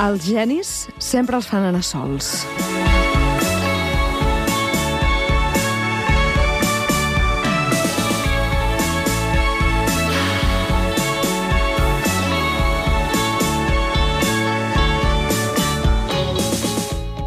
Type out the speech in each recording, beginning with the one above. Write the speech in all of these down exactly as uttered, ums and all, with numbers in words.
Els genis sempre els fan anar sols.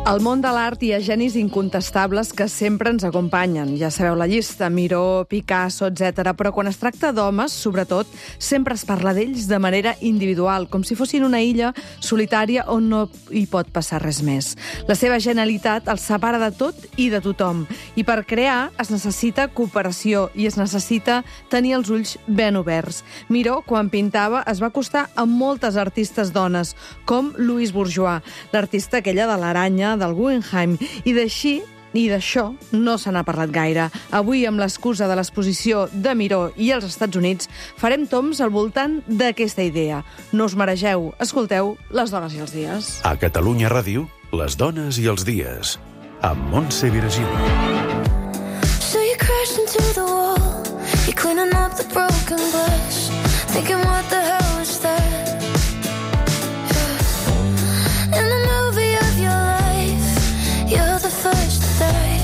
Al món de l'art hi ha genis incontestables que sempre ens acompanyen. Ja sabeu la llista, Miró, Picasso, etcètera. Però quan es tracta d'homes, sobretot, sempre es parla d'ells de manera individual, com si fossin una illa solitària on no hi pot passar res més. La seva genialitat els separa de tot i de tothom. I per crear es necessita cooperació i es necessita tenir els ulls ben oberts. Miró, quan pintava, es va acostar a moltes artistes dones, com Louise Bourgeois, l'artista aquella de l'aranya, del Guggenheim, i d'així i d'això no se n'ha parlat gaire. Avui, amb l'excusa de l'exposició de Miró i als Estats Units, farem toms al voltant d'aquesta idea. No us maregeu, escolteu Les dones i els dies. A Catalunya Ràdio, Les dones i els dies, amb Montse Virgili. So you crashed into the wall, you're cleaning up the broken glass, thinking what the hell was that? In the movie of your life, you're the first to die,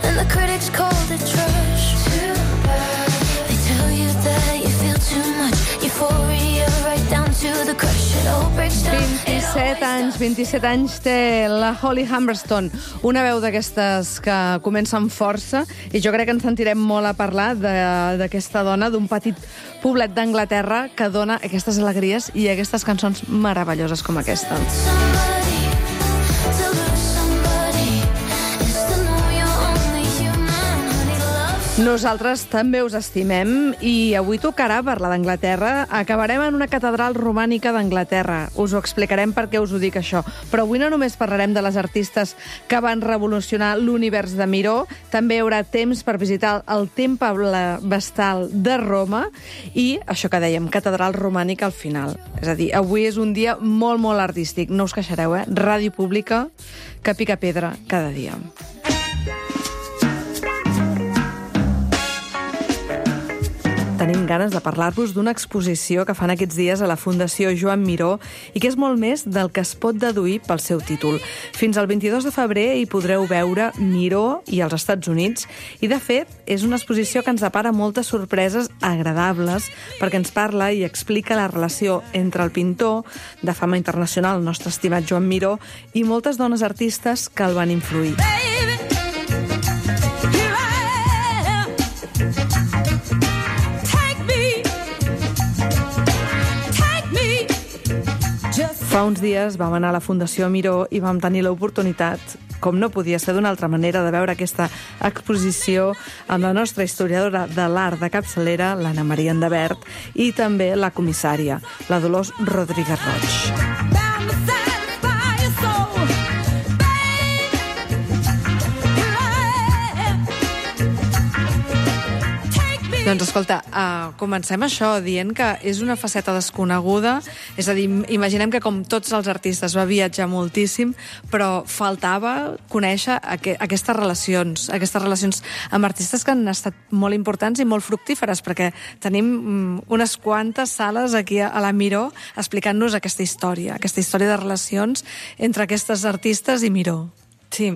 and the critics called it trash. Too bad. They tell you that you feel too much euphoria, right down to the crush. It all breaks down. vint-i-set anys, vint-i-set anys té la Holly Humberstone, una veu d'aquestes que comencen força, i jo crec que ens sentirem molt a parlar d'aquesta dona d'un petit poblet d'Anglaterra que dona aquestes alegries i aquestes cançons meravelloses com aquesta. Nosaltres també us estimem i avui tocarà parlar d'Anglaterra. Acabarem en una catedral romànica d'Anglaterra. Us ho explicarem per què us ho dic això. Però avui no només parlarem de les artistes que van revolucionar l'univers de Miró, també hi haurà temps per visitar el Temple Vestal de Roma i això que dèiem, catedral romànica al final. És a dir, avui és un dia molt, molt artístic. No us queixareu, eh? Ràdio pública que pica pedra cada dia. Tenim ganes de parlar-vos d'una exposició que fan aquests dies a la Fundació Joan Miró i que és molt més del que es pot deduir pel seu títol. Fins al vint-i-dos de febrer hi podreu veure Miró i els Estats Units i, de fet, és una exposició que ens depara moltes sorpreses agradables perquè ens parla i explica la relació entre el pintor de fama internacional, el nostre estimat Joan Miró, i moltes dones artistes que el van influir. Fa uns dies vam anar a la Fundació Miró i vam tenir l'oportunitat, com no podia ser d'una altra manera, de veure aquesta exposició amb la nostra historiadora de l'art de capçalera, l'Anna Maria Endebert, i també la comissària, la Dolors Rodríguez Roig. Doncs escolta, uh, comencem això dient que és una faceta desconeguda, és a dir, imaginem que com tots els artistes va viatjar moltíssim, però faltava conèixer aqu aquestes relacions, aquestes relacions amb artistes que han estat molt importants i molt fructíferes, perquè tenim um, unes quantes sales aquí a la Miró explicant-nos aquesta història, aquesta història de relacions entre aquestes artistes i Miró. Sí,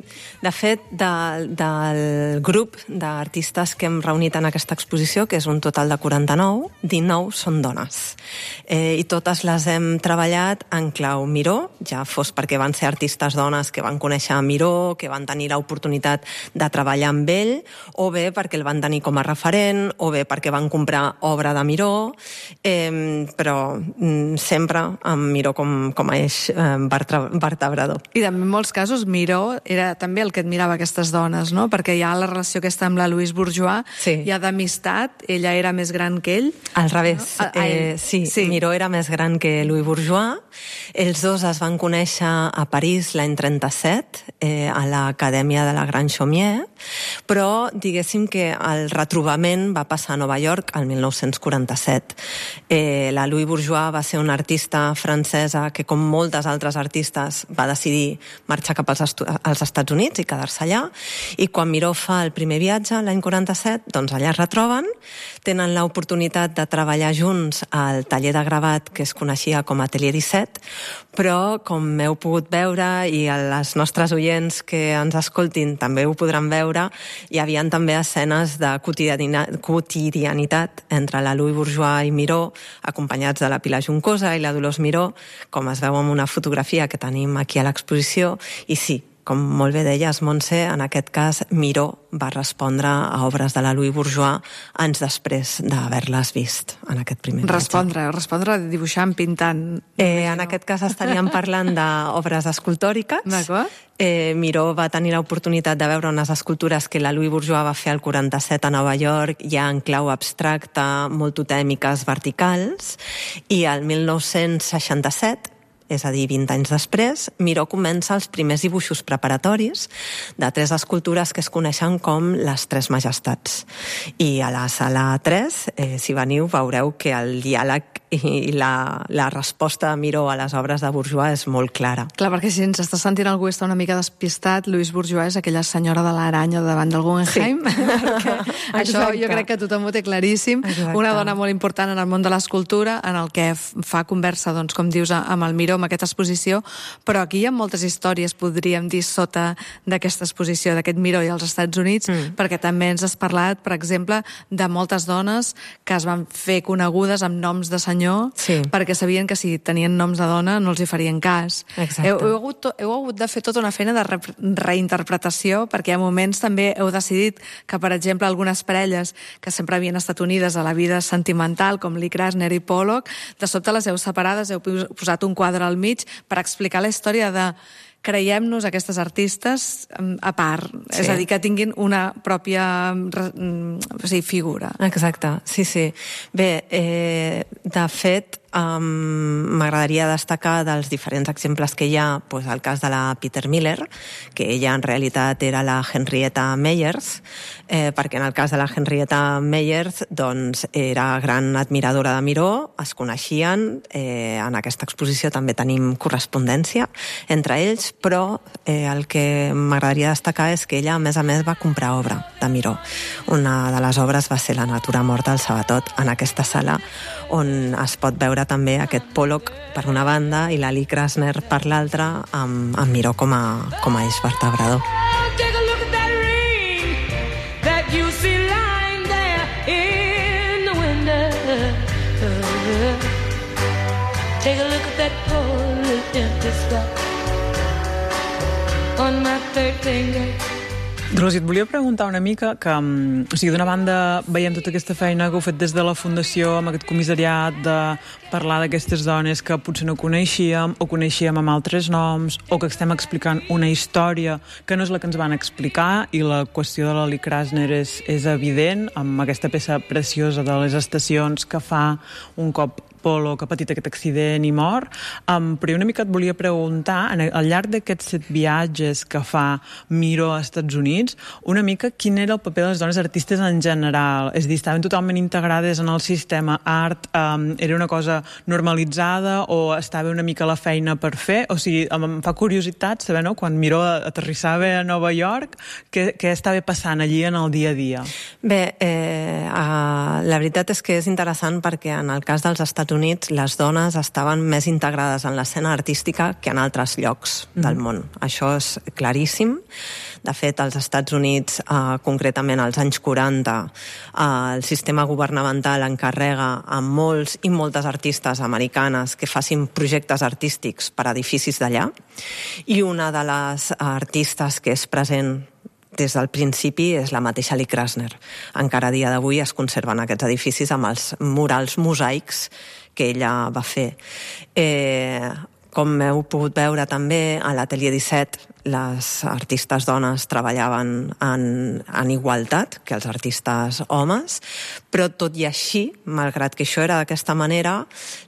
de fet, de, del grup d'artistes que hem reunit en aquesta exposició, que és un total de quaranta-nou, dinou són dones. Eh, I totes les hem treballat en clau Miró, ja fos perquè van ser artistes dones que van conèixer Miró, que van tenir l'oportunitat de treballar amb ell, o bé perquè el van tenir com a referent, o bé perquè van comprar obra de Miró, eh, però mm, sempre amb Miró com, com a eix eh, vertebrador. I també en molts casos Miró era també el que admirava aquestes dones, no? Perquè hi ha la relació aquesta amb la Louise Bourgeois, sí. Hi ha d'amistat, ella era més gran que ell. Al revés, no? eh, sí, sí, Miró era més gran que Louise Bourgeois. Els dos es van conèixer a París l'any trenta-set, eh, a l'Acadèmia de la Grand Chaumière, però diguéssim que el retrobament va passar a Nova York el mil nou-cents quaranta-set. Eh, la Louise Bourgeois va ser una artista francesa que, com moltes altres artistes, va decidir marxar cap als, estu als als Estats Units i quedar-se allà, i quan Miró fa el primer viatge, l'any quaranta-set, doncs allà es retroben, tenen l'oportunitat de treballar junts al taller de gravat que es coneixia com Atelier disset, però com heu pogut veure, i els nostres oients que ens escoltin també ho podran veure, hi havia també escenes de quotidianitat entre la Louis Bourgeois i Miró, acompanyats de la Pilar Juncosa i la Dolors Miró, com es veu en una fotografia que tenim aquí a l'exposició, i sí, com molt bé deies, Montse, en aquest cas Miró va respondre a obres de la Louis Bourgeois anys després d'haver-les vist en aquest primer viatge. Respondre, respondre dibuixant, pintant. Eh, en aquest cas estaríem parlant d'obres escultòriques. D'acord. Eh, Miró va tenir l'oportunitat de veure unes escultures que la Louis Bourgeois va fer al quaranta-set a Nova York, ja en clau abstracta, molt totèmiques, verticals, i al mil nou-cents seixanta-set, és a dir, vint anys després, Miró comença els primers dibuixos preparatoris de tres escultures que es coneixen com les Tres Majestats. I a la sala tres, eh, si veniu, veureu que el diàleg i la, la resposta de Miró a les obres de Bourgeois és molt clara. Clar, perquè si ens està sentint algú està una mica despistat, Louis Bourgeois és aquella senyora de l'aranya davant del Guggenheim. Sí. Això jo crec que tothom ho té claríssim. Exacte. Una dona molt important en el món de l'escultura, en el que fa conversa, doncs, com dius, amb el Miró, amb aquesta exposició, però aquí hi ha moltes històries, podríem dir, sota d'aquesta exposició, d'aquest Miró i als Estats Units, mm. perquè també ens has parlat, per exemple, de moltes dones que es van fer conegudes amb noms de senyor, sí. perquè sabien que si tenien noms de dona no els hi farien cas. Heu, heu, hagut, heu hagut de fer tota una feina de re reinterpretació, perquè hi ha moments també heu decidit que, per exemple, algunes parelles que sempre havien estat unides a la vida sentimental, com Lee Krasner i Pollock, de sobte les heu separades, heu posat un quadre al mig per explicar la història de creiem-nos aquestes artistes a part, sí. és a dir, que tinguin una pròpia o sigui, figura. Exacte, sí, sí. Bé, eh, de fet, Um, m'agradaria destacar dels diferents exemples que hi ha, pues, el cas de la Peter Miller, que ella en realitat era la Henrietta Meyers, eh, perquè en el cas de la Henrietta Meyers doncs, era gran admiradora de Miró, es coneixien, eh, en aquesta exposició també tenim correspondència entre ells, però eh, el que m'agradaria destacar és que ella, a més a més, va comprar obra de Miró. Una de les obres va ser La natura morta al Sabatot, en aquesta sala, on es pot veure també aquest Pollock per una banda i la Lee Krasner per l'altra, amb, amb Miró com a, com a eix vertebrador. Take a look at that ring that you see lying there in the window. Take a look at that poor little empty spot on my third finger. Rosi, et volia preguntar una mica que, o sigui, d'una banda veiem tota aquesta feina que heu fet des de la Fundació, amb aquest comissariat de parlar d'aquestes dones que potser no coneixíem o coneixíem amb altres noms, o que estem explicant una història que no és la que ens van explicar, i la qüestió de la Lee Krasner és, és evident, amb aquesta peça preciosa de les estacions que fa un cop Pollock ha patit aquest accident i mor. Um, però una mica et volia preguntar, en, al llarg d'aquests set viatges que fa Miró als Estats Units, una mica quin era el paper de les dones artistes en general? És a dir, estaven totalment integrades en el sistema art? Um, era una cosa normalitzada o estava una mica la feina per fer? O sigui, em fa curiositat saber, no?, quan Miró aterrissava a Nova York, què, què estava passant allí en el dia a dia? Bé, eh, uh, la veritat és que és interessant perquè en el cas dels Estats Units les dones estaven més integrades en l'escena artística que en altres llocs mm. del món. Això és claríssim. De fet, als Estats Units, eh, concretament als anys quaranta, eh, el sistema governamental encarrega a molts i moltes artistes americanes que facin projectes artístics per a edificis d'allà, i una de les artistes que és present des del principi és la mateixa Lee Krasner. Encara a dia d'avui es conserven aquests edificis amb els murals mosaics que ella va fer. Eh, com heu pogut veure també, a l'Atelier disset les artistes dones treballaven en, en igualtat que els artistes homes, però tot i així, malgrat que això era d'aquesta manera,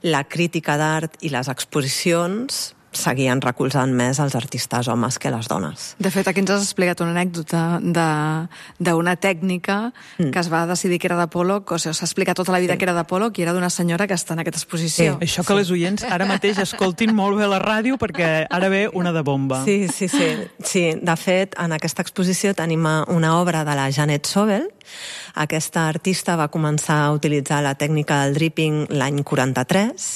la crítica d'art i les exposicions seguien recolzant més els artistes homes que les dones. De fet, aquí ens has explicat una anècdota d'una tècnica mm. que es va decidir que era de Pollock, o sigui, s'ha explicat tota la vida sí. que era de Pollock i era d'una senyora que està en aquesta exposició. Sí. Això que sí. les oients ara mateix escoltin molt bé la ràdio perquè ara ve una de bomba. Sí, sí, sí. sí. De fet, en aquesta exposició tenim una obra de la Janet Sobel. Aquesta artista va començar a utilitzar la tècnica del dripping l'any quaranta-tres,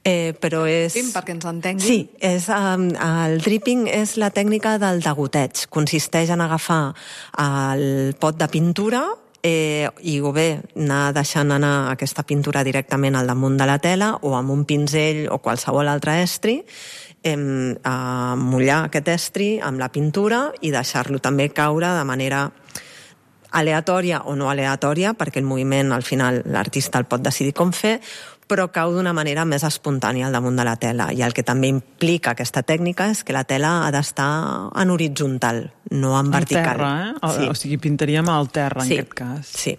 Eh, però és... Dripping, perquè ens entenguin. Sí, és, um, el dripping és la tècnica del degoteig. Consisteix en agafar el pot de pintura eh, i o bé anar deixant anar aquesta pintura directament al damunt de la tela o amb un pinzell o qualsevol altre estri, eh, a mullar aquest estri amb la pintura i deixar-lo també caure de manera aleatòria o no aleatòria, perquè el moviment al final l'artista el pot decidir com fer, però cau d'una manera més espontània al damunt de la tela. I el que també implica aquesta tècnica és que la tela ha d'estar en horitzontal, no en vertical. Al terra, eh? O, sí. o sigui, pintaríem al terra, sí, en aquest cas. Sí.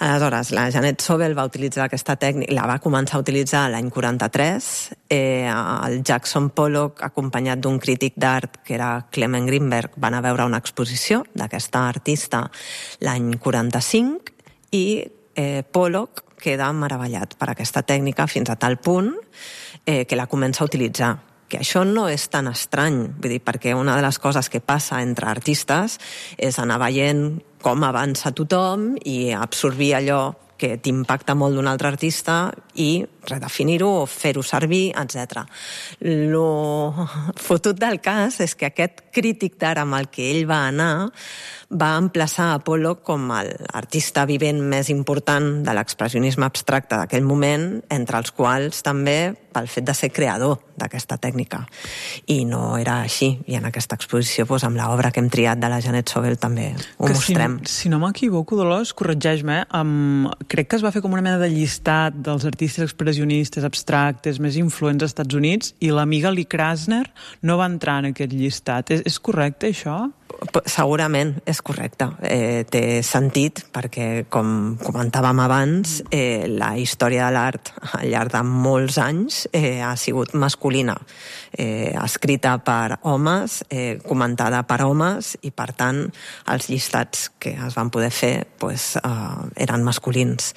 Aleshores, la Janet Sobel va utilitzar aquesta tècnica, la va començar a utilitzar l'any quaranta-tres, eh, el Jackson Pollock, acompanyat d'un crític d'art que era Clement Greenberg, van a veure una exposició d'aquesta artista l'any quaranta-cinc i eh, Pollock queda meravellat per aquesta tècnica fins a tal punt eh, que la comença a utilitzar. Que això no és tan estrany, vull dir, perquè una de les coses que passa entre artistes és anar veient com avança tothom i absorbir allò que t'impacta molt d'un altre artista i redefinir-ho o fer-ho servir, etcètera. Lo fotut del cas és que aquest crític d'art amb el que ell va anar va emplaçar a Pollock com l'artista vivent més important de l'expressionisme abstracte d'aquell moment, entre els quals també pel fet de ser creador d'aquesta tècnica. I no era així. I en aquesta exposició, doncs, amb l'obra que hem triat de la Janet Sobel també ho que mostrem. Si, si no m'equivoco, Dolors, corregeix-me, um, crec que es va fer com una mena de llistat dels artistes expressionistes abstractes més influents als Estats Units i l'amiga Lee Krasner no va entrar en aquest llistat. És, és correcte, això? Segurament és correcte. Eh, té sentit perquè, com comentàvem abans, eh, la història de l'art al llarg de molts anys eh, ha sigut masculina, eh, escrita per homes, eh, comentada per homes i, per tant, els llistats que es van poder fer pues, eh, eren masculins.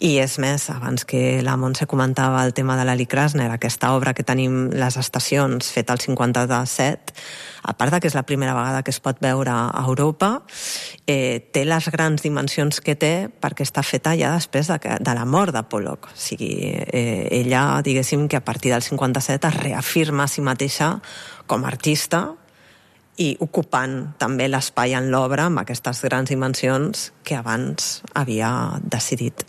I és més, abans que la Montse comentava el tema de la Lee Krasner, aquesta obra que tenim, Les estacions, feta al cinquanta-set, a part que és la primera vegada que es pot veure a Europa, eh, té les grans dimensions que té perquè està feta ja després de, que, de la mort de Pollock. O sigui, eh, ella, diguéssim, que a partir del cinquanta-set es reafirma a si mateixa com a artista i ocupant també l'espai en l'obra amb aquestes grans dimensions que abans havia decidit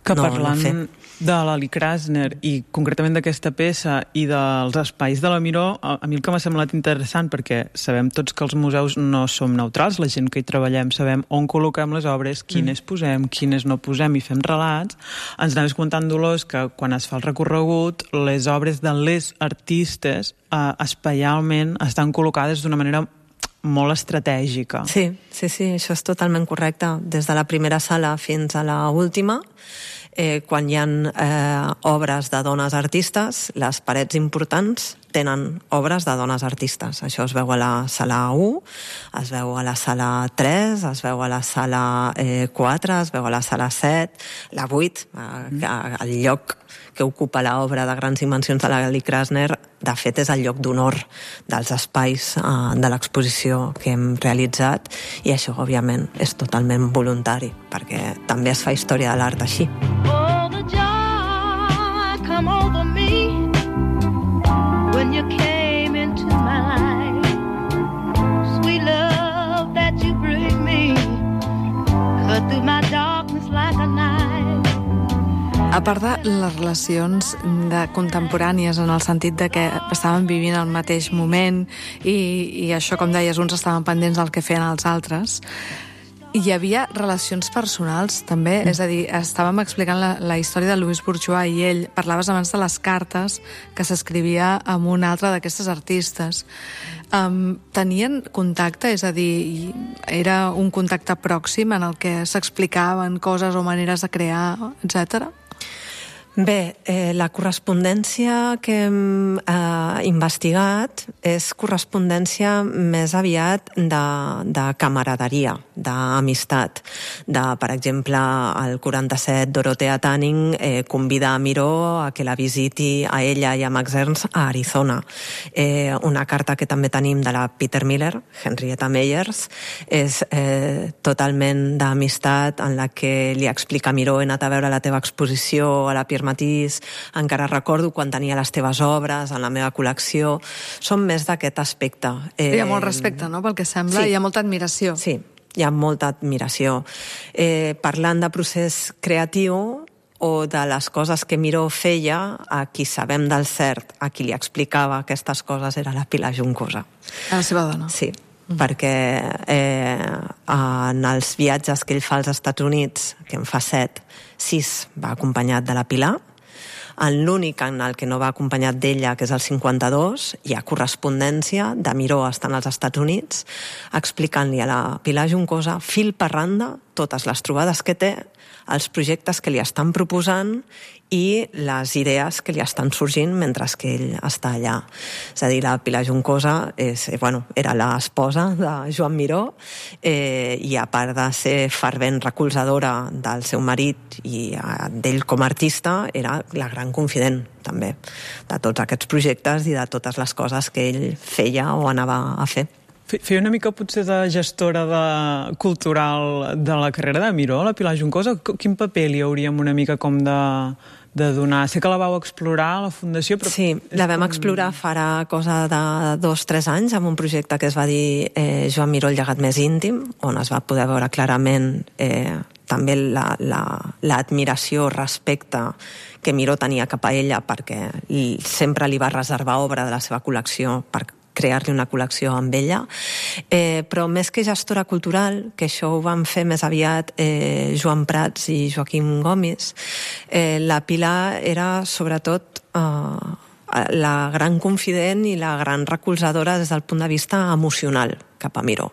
que no, parlant no fer. De la Lee Krasner i concretament d'aquesta peça i dels espais de la Miró, a, a mi el que m'ha semblat interessant, perquè sabem tots que els museus no som neutrals, la gent que hi treballem sabem on col·loquem les obres, quines mm. posem, quines no posem i fem relats. Ens anaves comentant, Dolors, que quan es fa el recorregut les obres de les artistes eh, espaialment estan col·locades d'una manera molt estratègica. Sí, sí, sí, això és totalment correcte. Des de la primera sala fins a la última, eh, quan hi ha eh, obres de dones artistes, les parets importants tenen obres de dones artistes. Això es veu a la sala u, es veu a la sala tres, es veu a la sala eh, quatre, es veu a la sala set, la vuit, eh, el lloc que ocupa l'obra de grans dimensions de la Lee Krasner, de fet és el lloc d'honor dels espais eh, de l'exposició que hem realitzat, i això, òbviament, és totalment voluntari, perquè també es fa història de l'art així. Oh, the joy come over me when you came into my life. Sweet love that you bring me cut through my darkness like a knife. A part de les relacions de contemporànies en el sentit de que estaven vivint el mateix moment i, i això, com deies, uns estaven pendents del que feien els altres, hi havia relacions personals també, mm. és a dir, estàvem explicant la, la història de Louis Bourgeois i ell, parlaves abans de les cartes que s'escrivia amb un altre d'aquestes artistes. Um, tenien contacte, és a dir, era un contacte pròxim en el que s'explicaven coses o maneres de crear, etcètera? Bé, eh, la correspondència que hem eh, investigat és correspondència més aviat de, de camaraderia, d'amistat. De, per exemple, al quaranta-set, Dorothea Tanning eh, convida a Miró a que la visiti a ella i a Max Ernst a Arizona. Eh, una carta que també tenim de la Peter Miller, Henrietta Meyers, és eh, totalment d'amistat, en la que li explica a Miró: he anat a veure la teva exposició a la Pierre Matís, encara recordo quan tenia les teves obres en la meva col·lecció. Són més d'aquest aspecte. Eh... Hi ha molt respecte, no?, pel que sembla, sí. Hi ha molta admiració. Sí, hi ha molta admiració. Eh, parlant de procés creatiu o de les coses que Miró feia, a qui sabem del cert, a qui li explicava aquestes coses, era la Pilar Juncosa. A la seva dona. Sí, mm. perquè eh, en els viatges que ell fa als Estats Units, que en fa set, sis va acompanyat de la Pilar. En l'únic en el que no va acompanyat d'ella, que és el cinquanta-dos, hi ha correspondència de Miró estant als Estats Units, explicant-li a la Pilar Juncosa, fil per randa, totes les trobades que té, els projectes que li estan proposant i les idees que li estan sorgint mentre que ell està allà. És a dir, la Pilar Juncosa és, bueno, era l'esposa de Joan Miró eh, i a part de ser fervent recolzadora del seu marit i eh, d'ell com a artista, era la gran confident també de tots aquests projectes i de totes les coses que ell feia o anava a fer. Feia una mica potser de gestora de, cultural de la carrera de Miró, la Pilar Juncosa. Quin paper li hauríem una mica com de, de donar? Sé que la vau explorar a la Fundació, però... Sí, la vam com... explorar farà cosa de dos o tres anys amb un projecte que es va dir eh, Joan Miró, el llegat més íntim, on es va poder veure clarament eh, també l'admiració, la, la respecte que Miró tenia cap a ella, perquè sempre li va reservar obra de la seva col·lecció per crear-li una col·lecció amb ella, eh, però més que gestora cultural, que això ho van fer més aviat eh, Joan Prats i Joaquim Gomis, eh, la Pilar era sobretot eh, la gran confident i la gran recolzadora des del punt de vista emocional cap a Miró.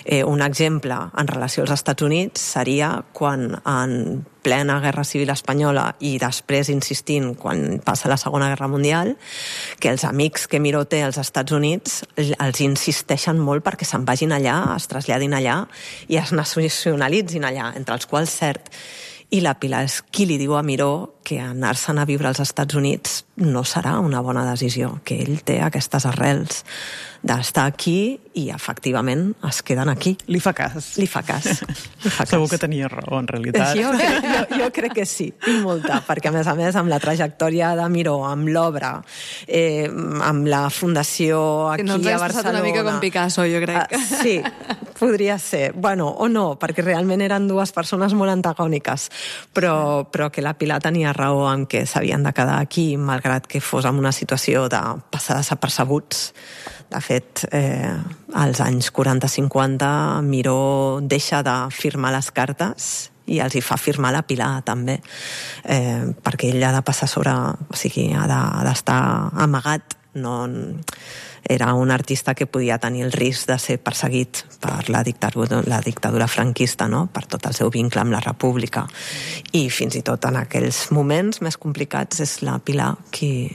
Eh, un exemple en relació als Estats Units seria quan en plena Guerra Civil Espanyola i després insistint quan passa la Segona Guerra Mundial, que els amics que Miró té als Estats Units els insisteixen molt perquè se'n vagin allà, es traslladin allà i es nacionalitzin allà, entre els quals cert. I la Pilar és qui li diu a Miró que anar-se'n a viure als Estats Units no serà una bona decisió, que ell té aquestes arrels d'estar aquí i efectivament es queden aquí. Li fa cas. Li fa cas. Li fa cas. Segur que tenia raó, en realitat. Jo, jo, jo crec que sí, i molta, perquè a més a més amb la trajectòria de Miró, amb l'obra, eh, amb la fundació aquí no a Barcelona... No ens has passat una mica com Picasso, jo crec. Uh, sí, podria ser. Bueno, o no, perquè realment eren dues persones molt antagòniques, però, però que la Pilar tenia raó en què s'havien de quedar aquí, malgrat que fos en una situació de passar desapercebuts. De fet, eh, als anys quaranta cinquanta, Miró deixa de firmar les cartes i els hi fa firmar la Pilar, també, eh, perquè ell ha de passar sobre... O sigui, ha d'estar de, amagat. No, era un artista que podia tenir el risc de ser perseguit per la dictadura, la dictadura franquista, no?, per tot el seu vincle amb la República. I fins i tot en aquells moments més complicats és la Pilar qui,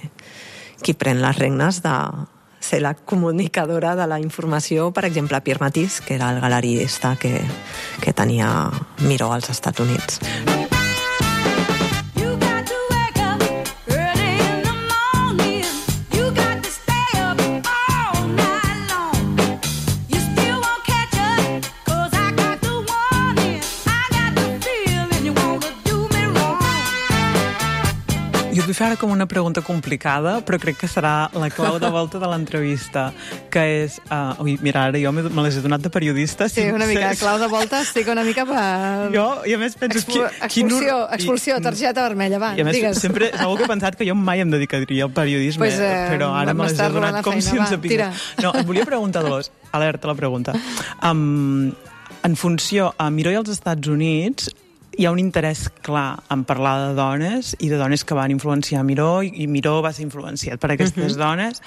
qui pren les regnes de ser la comunicadora de la informació, per exemple, a Pierre Matís, que era el galerista que, que tenia Miró als Estats Units. Jo et vull fer ara com una pregunta complicada, però crec que serà la clau de volta de l'entrevista, que és... Uh, ui, mira, ara jo me les he donat de periodista. Sí, una mica, clau de volta estic una mica per... Jo, i a més penso... Expul expulsió, quin... expulsió, targeta vermella, va, I a més, digues. Sempre, segur que he pensat que jo mai em dedicaria al periodisme, pues, eh, però ara me les he donat com si em sapigués. No, et volia preguntar, Dolors, alerta la pregunta. Um, en funció a Miró i als Estats Units, hi ha un interès clar en parlar de dones i de dones que van influenciar Miró, i Miró va ser influenciat per aquestes uh-huh. dones.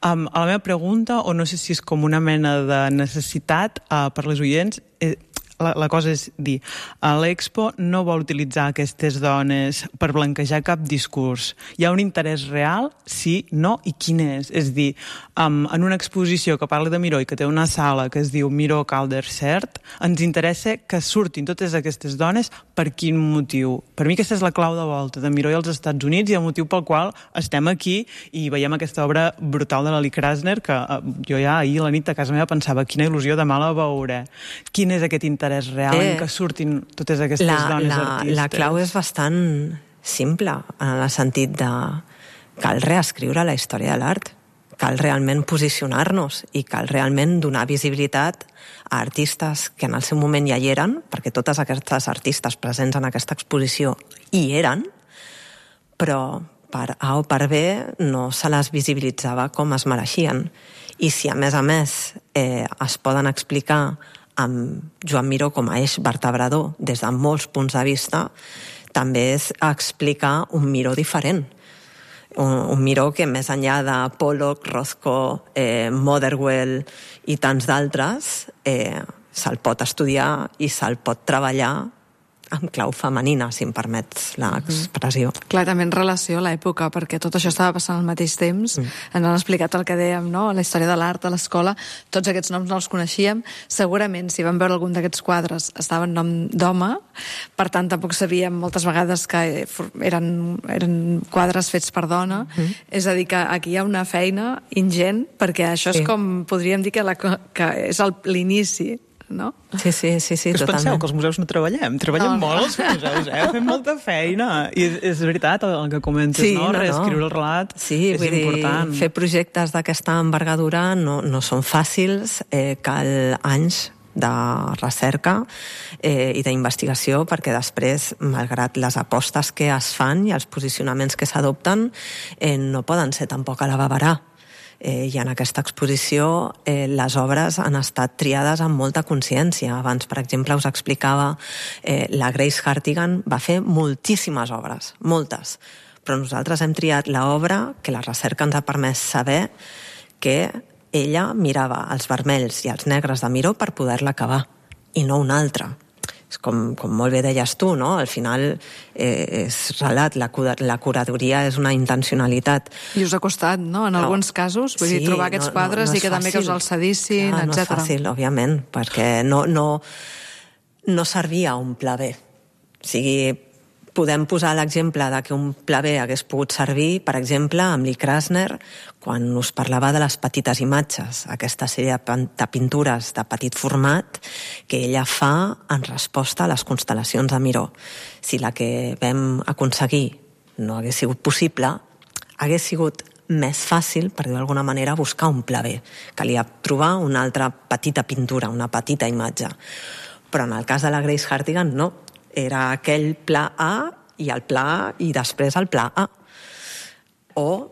Um, a la meva pregunta, o no sé si és com una mena de necessitat uh, per les oients, eh, la, la cosa és dir, l'Expo no vol utilitzar aquestes dones per blanquejar cap discurs. Hi ha un interès real? Sí, no, i quin és? És dir, um, en una exposició que parla de Miró i que té una sala que es diu Miró Calder Cert, ens interessa que surtin totes aquestes dones per quin motiu? Per mi aquesta és la clau de volta de Miró i els Estats Units i el motiu pel qual estem aquí i veiem aquesta obra brutal de l'Ali Krasner que uh, jo ja ahir a la nit a casa meva pensava quina il·lusió, demà la veuré. Quin és aquest interès real eh, en què surtin totes aquestes la, dones la, artistes? La clau és bastant simple, en el sentit de cal reescriure la història de l'art, cal realment posicionar-nos i cal realment donar visibilitat a artistes que en el seu moment ja hi eren, perquè totes aquestes artistes presents en aquesta exposició hi eren, però per A o per B no se les visibilitzava com es mereixien. I si a més a més eh, es poden explicar amb Joan Miró com a eix vertebrador des de molts punts de vista, també és explicar un Miró diferent. Un, un Miró que més enllà de Pollock, Rothko, eh, Motherwell i tants d'altres, eh, se'l pot estudiar i se'l pot treballar amb clau femenina, si em permets l'expressió. Mm. Clar, també en relació a l'època, perquè tot això estava passant al mateix temps. Mm. Ens han explicat el que dèiem, no?, la història de l'art a l'escola. Tots aquests noms no els coneixíem. Segurament, si vam veure algun d'aquests quadres, estava en nom d'home, per tant, tampoc sabíem moltes vegades que eren, eren quadres fets per dona. Mm. És a dir, que aquí hi ha una feina ingent, perquè això és sí. com, podríem dir que, la, que és l'inici, no? Sí, sí, sí, sí, que us totalment. penseu que els museus no treballem? Treballem no, molt no. els museus, eh? Fem molta feina. I és, és veritat el que comentes, sí, no? no? Reescriure el relat sí, és vull important. Dir, fer projectes d'aquesta envergadura no, no són fàcils, eh, cal anys de recerca eh, i d'investigació, perquè després, malgrat les apostes que es fan i els posicionaments que s'adopten, eh, no poden ser tampoc a la babarà. Eh, I en aquesta exposició eh, les obres han estat triades amb molta consciència. Abans, per exemple, us explicava eh, la Grace Hartigan va fer moltíssimes obres, moltes, però nosaltres hem triat l'obra que la recerca ens ha permès saber que ella mirava els vermells i els negres de Miró per poder-la acabar, i no una altra. És com, com molt bé deies tu, no? Al final eh, és relat, la, la curadoria és una intencionalitat. I us ha costat, no?, en no. alguns casos, vull sí, dir, trobar aquests no, quadres no, no i que fàcil. També que us els cedissin, Clar, etcètera. No és fàcil, òbviament, perquè no, no, no servia un pla B. O sigui, podem posar l'exemple de que un pla B hagués pogut servir, per exemple, amb Lee Krasner, quan us parlava de les petites imatges, aquesta sèrie de pintures de petit format que ella fa en resposta a les constel·lacions de Miró. Si la que vam aconseguir no hagués sigut possible, hagués sigut més fàcil, per dir d'alguna manera, buscar un pla B. Calia trobar una altra petita pintura, una petita imatge. Però en el cas de la Grace Hartigan, no. Era aquell pla A i el pla A i després el pla A. O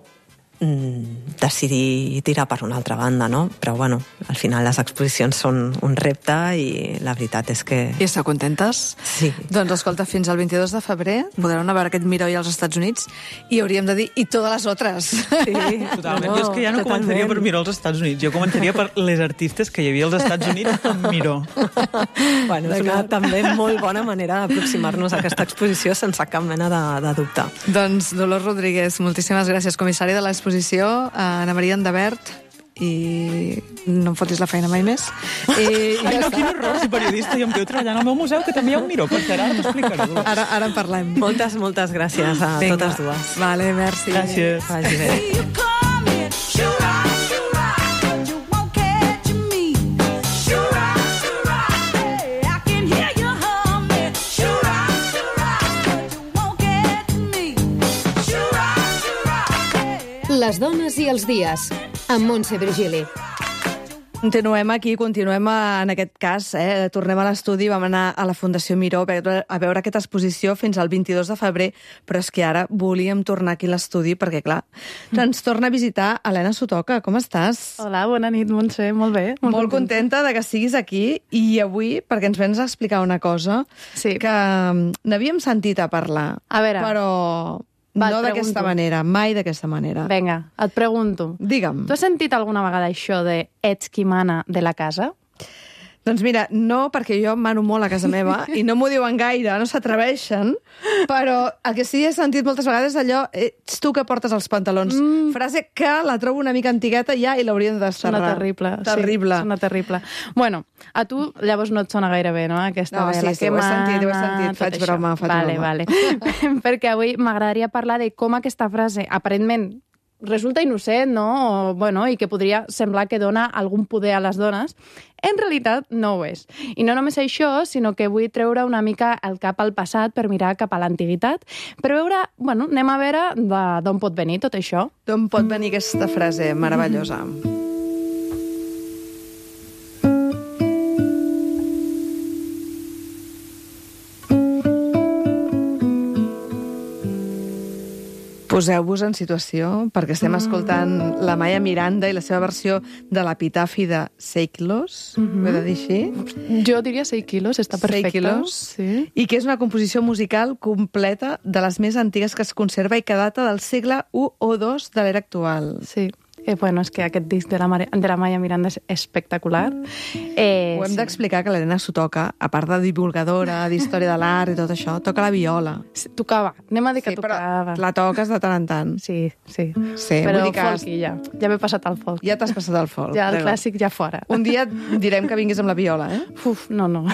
mm, decidir tirar per una altra banda, no? Però, bueno, al final les exposicions són un repte i la veritat és que... I esteu contentes? Sí. Doncs, escolta, fins al vint-i-dos de febrer podreu anar a veure aquest Miró i als Estats Units i hauríem de dir, i totes les altres. Sí, totalment. No, jo és que ja no totalment. Començaria per Miró als Estats Units, jo començaria per les artistes que hi havia als Estats Units amb Miró. Bueno, és una també molt bona manera d'aproximar-nos a aquesta exposició sense cap mena de, de dubte. Doncs, Dolors Rodríguez, moltíssimes gràcies, comissària de l'exposició, Anna Maria Endavert, i no em fotis la feina mai més. I, i Ai, no, quin horror, ser periodista i em quedo treballant al meu museu, que també hi ha un Miró, per cert, ara t'explicaré. Ara, ara en parlem. Moltes, moltes gràcies a Vinga. Totes dues. Vale, merci. Gràcies. Vagi bé. Les dones i els dies, amb Montse Virgili. Continuem aquí, continuem en aquest cas, eh? Tornem a l'estudi, vam anar a la Fundació Miró a veure, a veure aquesta exposició fins al vint-i-dos de febrer, però és que ara volíem tornar aquí a l'estudi perquè, clar, ens torna a visitar Helena Sotoca. Com estàs? Hola, bona nit, Montse, molt bé. Molt, molt contenta de que siguis aquí i avui, perquè ens vens a explicar una cosa sí. que n'havíem sentit a parlar, a veure. però... Va, no d'aquesta manera, mai d'aquesta manera. Vinga, et pregunto. Digue'm. Tu has sentit alguna vegada això de ets qui mana de la casa? Doncs mira, no, perquè jo mano molt a casa meva i no m'ho diuen gaire, no s'atreveixen, però el que sí he sentit moltes vegades allò, ets tu que portes els pantalons. Mm. Frase que la trobo una mica antigueta ja i l'haurien de desterrar. Sona terrible. Terrible. Sí, sona terrible. Bueno, a tu llavors no et sona gaire bé, no? Aquesta No, de sí, la sí, que ho he sentit, ho he mana, sentit. tot Faig això. broma, faig vale, broma. Vale. Perquè avui m'agradaria parlar de com aquesta frase, aparentment, resulta innocent, no? O, bueno, i que podria semblar que dona algun poder a les dones, en realitat no ho és. I no només això, sinó que vull treure una mica el cap al passat per mirar cap a l'antiguitat, per veure, bueno, anem a veure d'on pot venir tot això. D'on pot venir aquesta frase meravellosa? Poseu-vos en situació, perquè estem escoltant la Maya Miranda i la seva versió de l'epitafi de Seikilos, mm -hmm. ho he de dir així? Jo diria seis quilos, està perfecte. Seikilos, Sí. i que és una composició musical completa de les més antigues que es conserva i que data del segle u o dos de l'era actual. Sí. Eh, bueno, és que aquest disc de la, Mare, de la Maya Miranda és espectacular. Eh, Ho hem sí. d'explicar que l'Helena s'ho toca, a part de divulgadora, d'història de l'art i tot això, toca la viola. Sí, tocava. Anem a dir que Sí, però tocava. la toques de tant en tant. Sí, sí. Sí, Però vull dir que folky ja. Ja m'he passat al folk. ja t'has passat al folk. Ja el Déu. clàssic ja fora. Un dia direm que vinguis amb la viola, eh? Uf, no, no.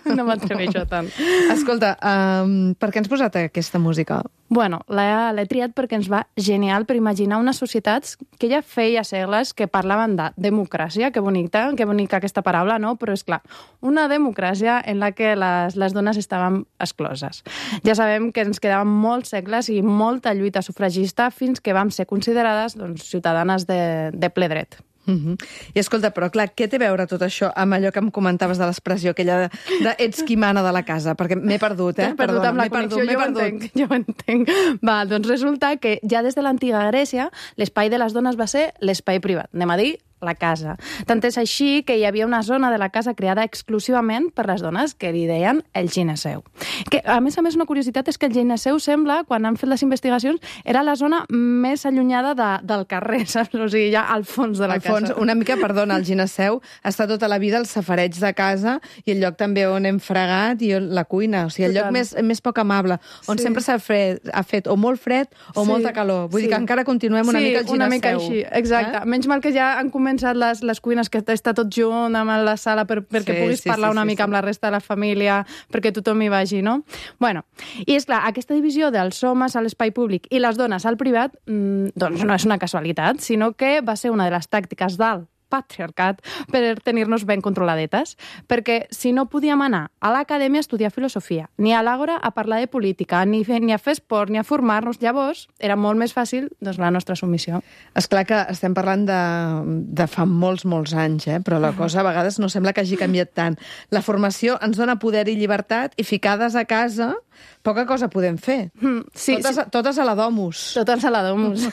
No m'atreveixo tant. Escolta, um, per què ens posat aquesta música? Bueno, l'he l'he triat perquè ens va genial per imaginar unes societats que ja feia segles que parlaven de democràcia, que bonica, que bonica aquesta paraula, no? Però és clar, una democràcia en la que les, les dones estaven excloses. Ja sabem que ens quedaven molts segles i molta lluita sufragista fins que vam ser considerades doncs, ciutadanes de, de ple dret. Uh -huh. I escolta, però clar, què té a veure tot això amb allò que em comentaves de l'expressió aquella de, de ets qui mana de la casa? Perquè m'he perdut, eh? T'has perdut amb la m'he connexió, perdut, m'he jo ho perdut. entenc, jo ho entenc. Va, doncs resulta que ja des de l'antiga Grècia l'espai de les dones va ser l'espai privat, anem a dir la casa. Tant és així que hi havia una zona de la casa creada exclusivament per les dones que li deien el gineceu. Que, a més a més, una curiositat és que el gineceu sembla, quan han fet les investigacions, era la zona més allunyada de, del carrer, saps? O sigui, ja al fons de la Al fons, casa. una mica, perdona, el gineceu està tota la vida al safareig de casa i el lloc també on hem fregat i on, la cuina. O sigui, el Total. lloc més, més poc amable, on Sí. sempre s'ha fet, ha fet o molt fred o Sí, molta calor. Vull sí. dir que encara continuem una sí, mica al gineceu. una mica així, exacte. Eh? Menys mal que ja han començat les, les cuines, que està tot junt amb la sala per, perquè Sí, puguis sí, parlar sí, una sí, mica sí. amb la resta de la família, perquè tothom hi vagi, no? Bueno, i és clar, aquesta divisió dels homes a l'espai públic i les dones al privat, mmm, doncs no és una casualitat, sinó que va ser una de les tàctiques del patriarcat per tenir-nos ben controladetes, perquè si no podíem anar a l'acadèmia a estudiar filosofia, ni a l'àgora a parlar de política, ni, fer, ni a fer esport, ni a formar-nos, llavors era molt més fàcil doncs, la nostra submissió. És clar que estem parlant de, de fa molts, molts anys, eh? Però la cosa a vegades no sembla que hagi canviat tant. La formació ens dona poder i llibertat i ficades a casa poca cosa podem fer. Mm, sí, totes, sí. totes a la domus. Totes a la domus.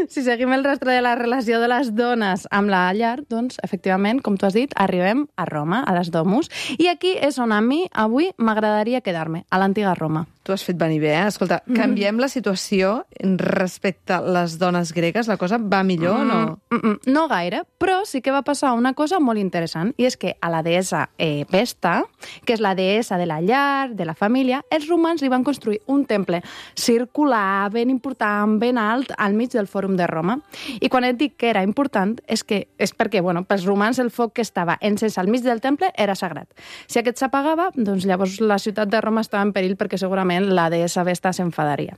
Si seguim el rastre de la relació de les dones amb la llar, doncs, efectivament, com tu has dit, arribem a Roma, a les domus, i aquí és on a mi avui m'agradaria quedar-me, a l'antiga Roma. Tu has fet venir bé, eh? Escolta, canviem la situació respecte a les dones gregues? La cosa va millor o no? Mm, mm, no gaire, però sí que va passar una cosa molt interessant, i és que a la deessa eh, Vesta, que és la deessa de la llar, de la família, els romans li van construir un temple circular, ben important, ben alt, al mig del Fòrum de Roma. I quan et dic que era important, és que és perquè, bueno, pels romans el foc que estava encès al mig del temple era sagrat. Si aquest s'apagava, doncs llavors la ciutat de Roma estava en perill perquè segurament la deessa Vesta s'enfadaria.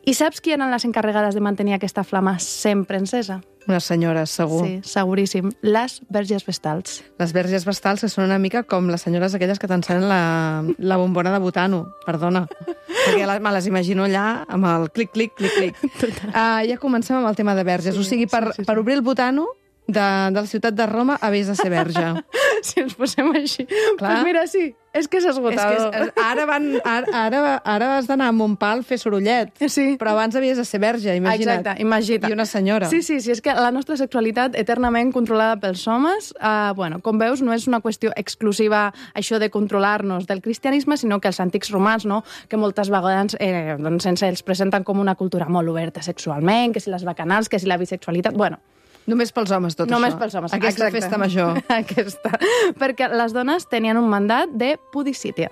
I saps qui eren les encarregades de mantenir aquesta flama sempre encesa? Unes senyores, segur. Sí, seguríssim. Les verges vestals. Les verges vestals, que són una mica com les senyores aquelles que t'encenen la, la bombona de butano, perdona. Perquè la, me les imagino allà amb el clic, clic, clic, clic. Uh, ja comencem amb el tema de verges. Sí, o sigui, per, sí, sí, sí. per obrir el butano de, de la ciutat de Roma havies de ser verge. Si ens posem així. Clar. Pues mira, sí, és que és És esgotador. que és, ara, van, ara, ara, ara has d'anar a Montpal a fer sorollet. Sí. Però abans havies de ser verge, imagina't. Exacte, imagina't. I una senyora. Sí, sí, sí, és que la nostra sexualitat eternament controlada pels homes, eh, bueno, com veus, no és una qüestió exclusiva això de controlar-nos del cristianisme, sinó que els antics romans, no?, que moltes vegades eh, doncs, ens els presenten com una cultura molt oberta sexualment, que si les bacanals, que si la bisexualitat... Bueno, Només pels homes, tot Només això. pels homes. Aquesta exacte. festa major. Aquesta. Perquè les dones tenien un mandat de pudicítia.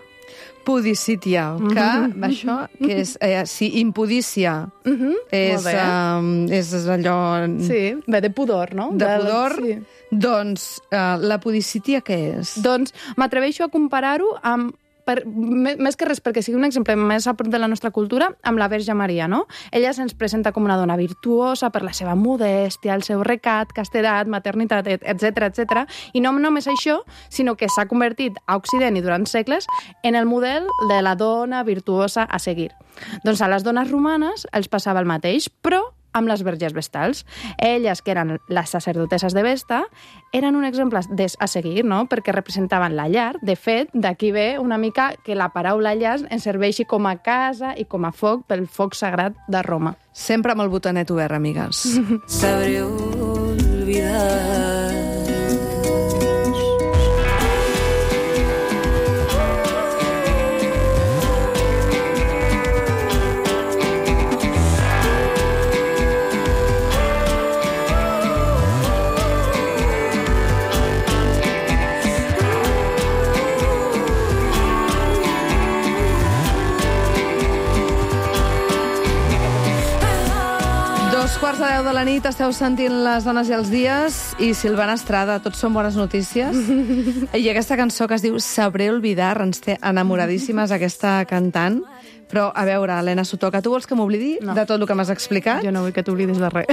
Pudicítia, que això, que és, eh, si impudícia Mm -hmm. és, Molt bé. um, és allò Sí, ve de pudor, no? de Del- pudor, Sí. doncs uh, la pudicítia què és? Doncs m'atreveixo a comparar-ho amb per, més més que res perquè sigui un exemple més a prop de la nostra cultura, amb la Verge Maria, no? Ella se'ns presenta com una dona virtuosa per la seva modèstia, el seu recat, castedat, maternitat, etcètera, etcètera. I no només això, sinó que s'ha convertit a Occident i durant segles en el model de la dona virtuosa a seguir. Doncs a les dones romanes els passava el mateix, però amb les verges vestals. Elles, que eren les sacerdotesses de Vesta, eren un exemple a seguir, no? Perquè representaven la llar. De fet, d'aquí ve una mica que la paraula llar ens serveixi com a casa i com a foc pel foc sagrat de Roma. Sempre amb el botanet obert, amigues. Sabré olvidar. Dos quarts de deu de la nit, esteu sentint Les dones i els dies, i Silvana Estrada, tots són bones notícies. I aquesta cançó que es diu Sabré olvidar, ens té enamoradíssimes aquesta cantant. Però, a veure, Helena Sotoca, tu vols que m'oblidi No. de tot el que m'has explicat? Jo no vull que t'oblidis de res.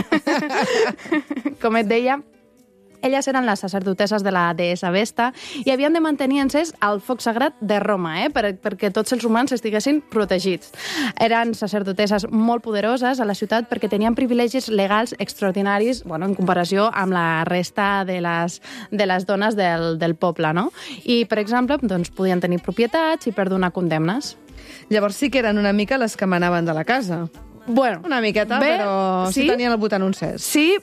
Com et deia, elles eren les sacerdotesses de la deessa Vesta i havien de mantenir encès el foc sagrat de Roma, eh? per, perquè tots els romans estiguessin protegits. Eren sacerdotesses molt poderoses a la ciutat perquè tenien privilegis legals extraordinaris, bueno, en comparació amb la resta de les, de les dones del, del poble, no? I, per exemple, doncs, podien tenir propietats i perdonar condemnes. Llavors sí que eren una mica les que manaven de la casa. Bueno, Una miqueta, bé, però sí sí. tenien el botant encès. Sí,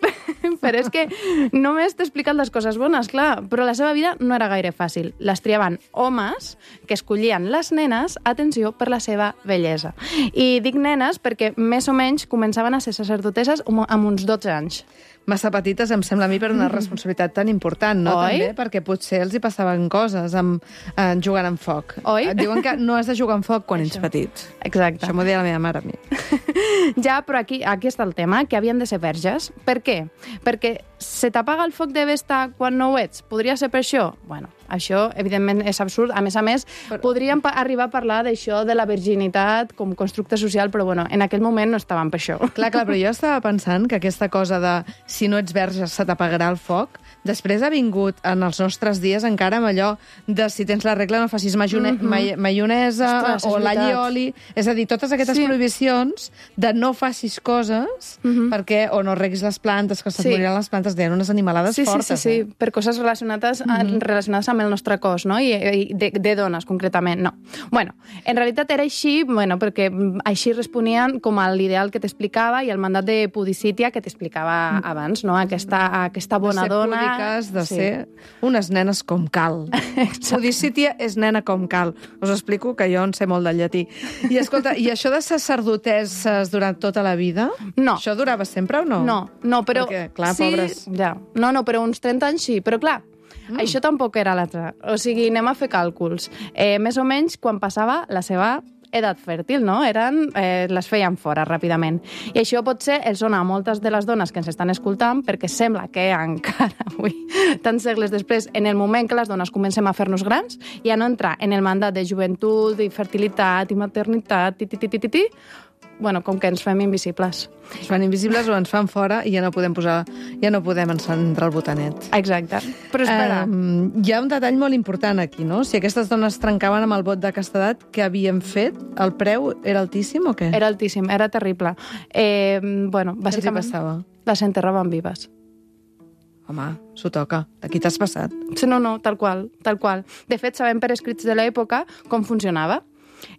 però és que només t'he explicat les coses bones, clar, però la seva vida no era gaire fàcil. Les triaven homes que escollien les nenes, atenció, per la seva bellesa. I dic nenes perquè més o menys començaven a ser sacerdotesses amb uns dotze anys. Massa petites, em sembla a mi, per una responsabilitat tan important, no? Oi? També, perquè potser els hi passaven coses amb, eh, jugant amb foc. Oi? Et diuen que no has de jugar amb foc quan ets petit. Exacte. Això m'ho deia la meva mare a mi. Ja, però aquí, aquí està el tema, que havien de ser verges. Per què? Perquè se t'apaga el foc de Vesta quan no ho ets? Podria ser per això? Bueno, això, evidentment, és absurd. A més a més, però... podríem arribar a parlar d'això de la virginitat com constructe social, però bueno, en aquell moment no estaven per això. Clar, clar, però jo estava pensant que aquesta cosa de si no ets verge se t'apagarà el foc, després ha vingut en els nostres dies encara amb allò de si tens la regla no facis maionesa, mm -hmm. maionesa Ostres, és o l'all i veritat. oli. És a dir, totes aquestes Sí. prohibicions de no facis coses mm -hmm. perquè o no reguis les plantes, que se't Sí. moriran les plantes, deien unes animalades Sí, sí, fortes. sí, sí, Eh? per coses relacionades, mm -hmm. relacionades amb el nostre cos, no? I, i de, de dones, concretament, no. Bueno, en realitat era així, bueno, perquè així responien com a l'ideal que t'explicava i el mandat de pudicítia que t'explicava abans, no? Aquesta, aquesta bona de ser dona... púdiques, de Sí. ser unes nenes com cal. Pudicítia és nena com cal. Us explico que jo en sé molt del llatí. I escolta, i això de sacerdotesses durant tota la vida? No. Això durava sempre o no? No, no, però... Perquè, clar, sí, pobres. Ja. No, no, però uns trenta anys sí, però clar, mm. això tampoc era l'altre. O sigui, anem a fer càlculs. Eh, més o menys quan passava la seva edat fèrtil, no? Eren, eh, les feien fora ràpidament. I això potser els sona a moltes de les dones que ens estan escoltant perquè sembla que encara avui, tants segles després, en el moment que les dones comencem a fer-nos grans, ja no entra en el mandat de joventut, i fertilitat, i maternitat, ti, ti, ti, ti, ti, ti, bueno, com que ens fem invisibles. Ens fan invisibles o ens fan fora i ja no podem posar, ja no podem encendre el botanet. Exacte. Però espera... Um, hi ha un detall molt important aquí, no? Si aquestes dones trencaven amb el vot de castedat que havien fet, el preu era altíssim o què? Era altíssim, era terrible. Eh, bueno, Què els hi bàsicament... passava? Les enterraven vives. Home, s'ho toca. Aquí t'has passat. Sí, no, no, tal qual, tal qual. De fet, sabem per escrits de l'època com funcionava.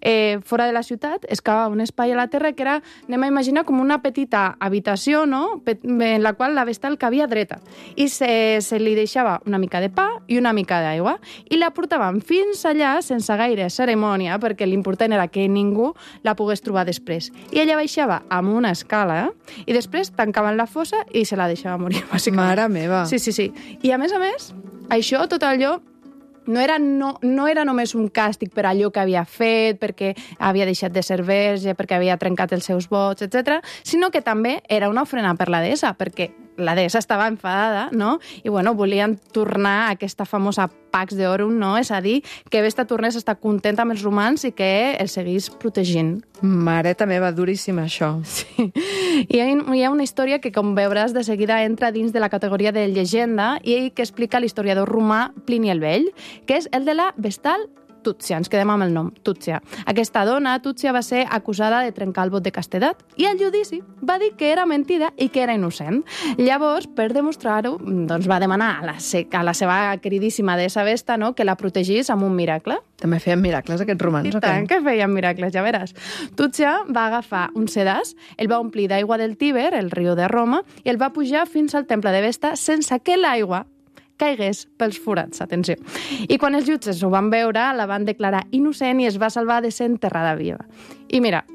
eh, fora de la ciutat, es cava un espai a la terra que era, anem a imaginar, com una petita habitació, no?, en la qual la vestal cabia dreta. I se, se li deixava una mica de pa i una mica d'aigua. I la portaven fins allà sense gaire cerimònia, perquè l'important era que ningú la pogués trobar després. I ella baixava amb una escala, eh? I després tancaven la fossa i se la deixava morir, bàsicament. Mare meva. Sí, sí, sí. I a més a més, això, tot allò, no era, no, no era només un càstig per allò que havia fet, perquè havia deixat de ser verge, perquè havia trencat els seus vots, etcètera, sinó que també era una ofrena per la deessa, perquè la deessa estava enfadada, no? I, bueno, volien tornar a aquesta famosa Pax Deorum, no? És a dir, que Vesta tornés a estar contenta amb els romans i que els seguís protegint. Mareta meva, duríssima, això. Sí. Hi ha, hi ha una història que, com veuràs, de seguida entra dins de la categoria de llegenda i que explica l'historiador romà Plini el Vell, que és el de la vestal Túcia, ens quedem amb el nom, Túcia. Aquesta dona, Túcia, va ser acusada de trencar el vot de castedat i al judici va dir que era mentida i que era innocent. Llavors, per demostrar-ho, doncs va demanar a la, a la seva queridíssima deessa Vesta, no?, que la protegís amb un miracle. També feien miracles, aquests romans, I tant que feien miracles, ja veràs. Túcia va agafar un sedàs, el va omplir d'aigua del Tíber, el riu de Roma, i el va pujar fins al temple de Vesta sense que l'aigua caigués pels forats, atenció. I quan els jutges ho van veure, la van declarar innocent i es va salvar de ser enterrada viva. I mira,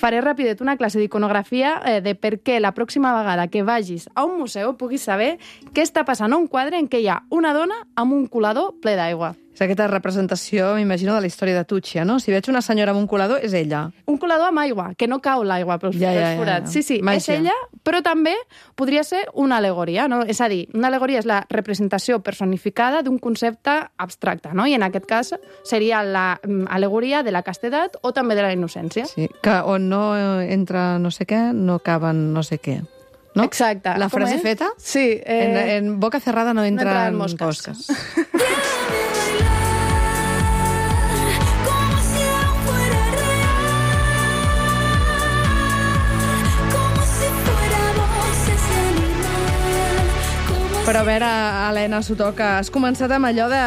faré ràpidet una classe d'iconografia eh, de per què la pròxima vegada que vagis a un museu puguis saber què està passant a un quadre en què hi ha una dona amb un colador ple d'aigua. És aquesta representació, m'imagino, de la història de Túcia, no? Si veig una senyora amb un colador, és ella. Un colador amb aigua, que no cau l'aigua pels, ja, ja, pels forats. Ja, ja. Sí, sí, Màgia. És ella, però també podria ser una al·legoria, no? És a dir, una al·legoria és la representació personificada d'un concepte abstracte, no? I en aquest cas seria l'al·legoria de la castedat o també de la innocència. Sí, que on no entra no sé què, no caben no sé què. No? Exacte. La frase feta? Sí. Eh... En, en boca cerrada no entran no mosques. mosques. Però a veure, Helena Sotoca, has començat amb allò de,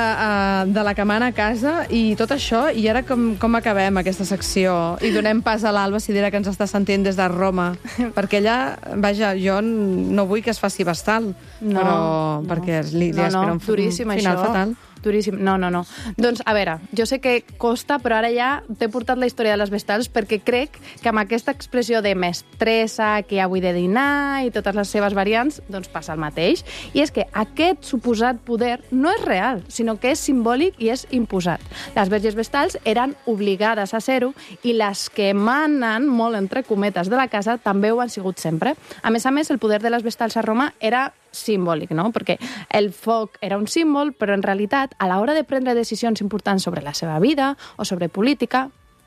de la camana a casa i tot això, i ara com, com acabem aquesta secció? I donem pas a l'Alba Sidera, que ens està sentint des de Roma, perquè ella, vaja, jo no vull que es faci vestal, no, però no. perquè li, li no, espera no, un, duríssim, un final això. fatal. Duríssim. No, no, no. Doncs, a veure, jo sé que costa, però ara ja t'he portat la història de les vestals perquè crec que amb aquesta expressió de mestressa, que ja vull de dinar i totes les seves variants, doncs passa el mateix. I és que aquest suposat poder no és real, sinó que és simbòlic i és imposat. Les verges vestals eren obligades a ser-ho i les que manen, molt entre cometes, de la casa també ho han sigut sempre. A més a més, el poder de les vestals a Roma era simbòlic, no? Perquè el foc era un símbol, però en realitat, a l'hora de prendre decisions importants sobre la seva vida o sobre política,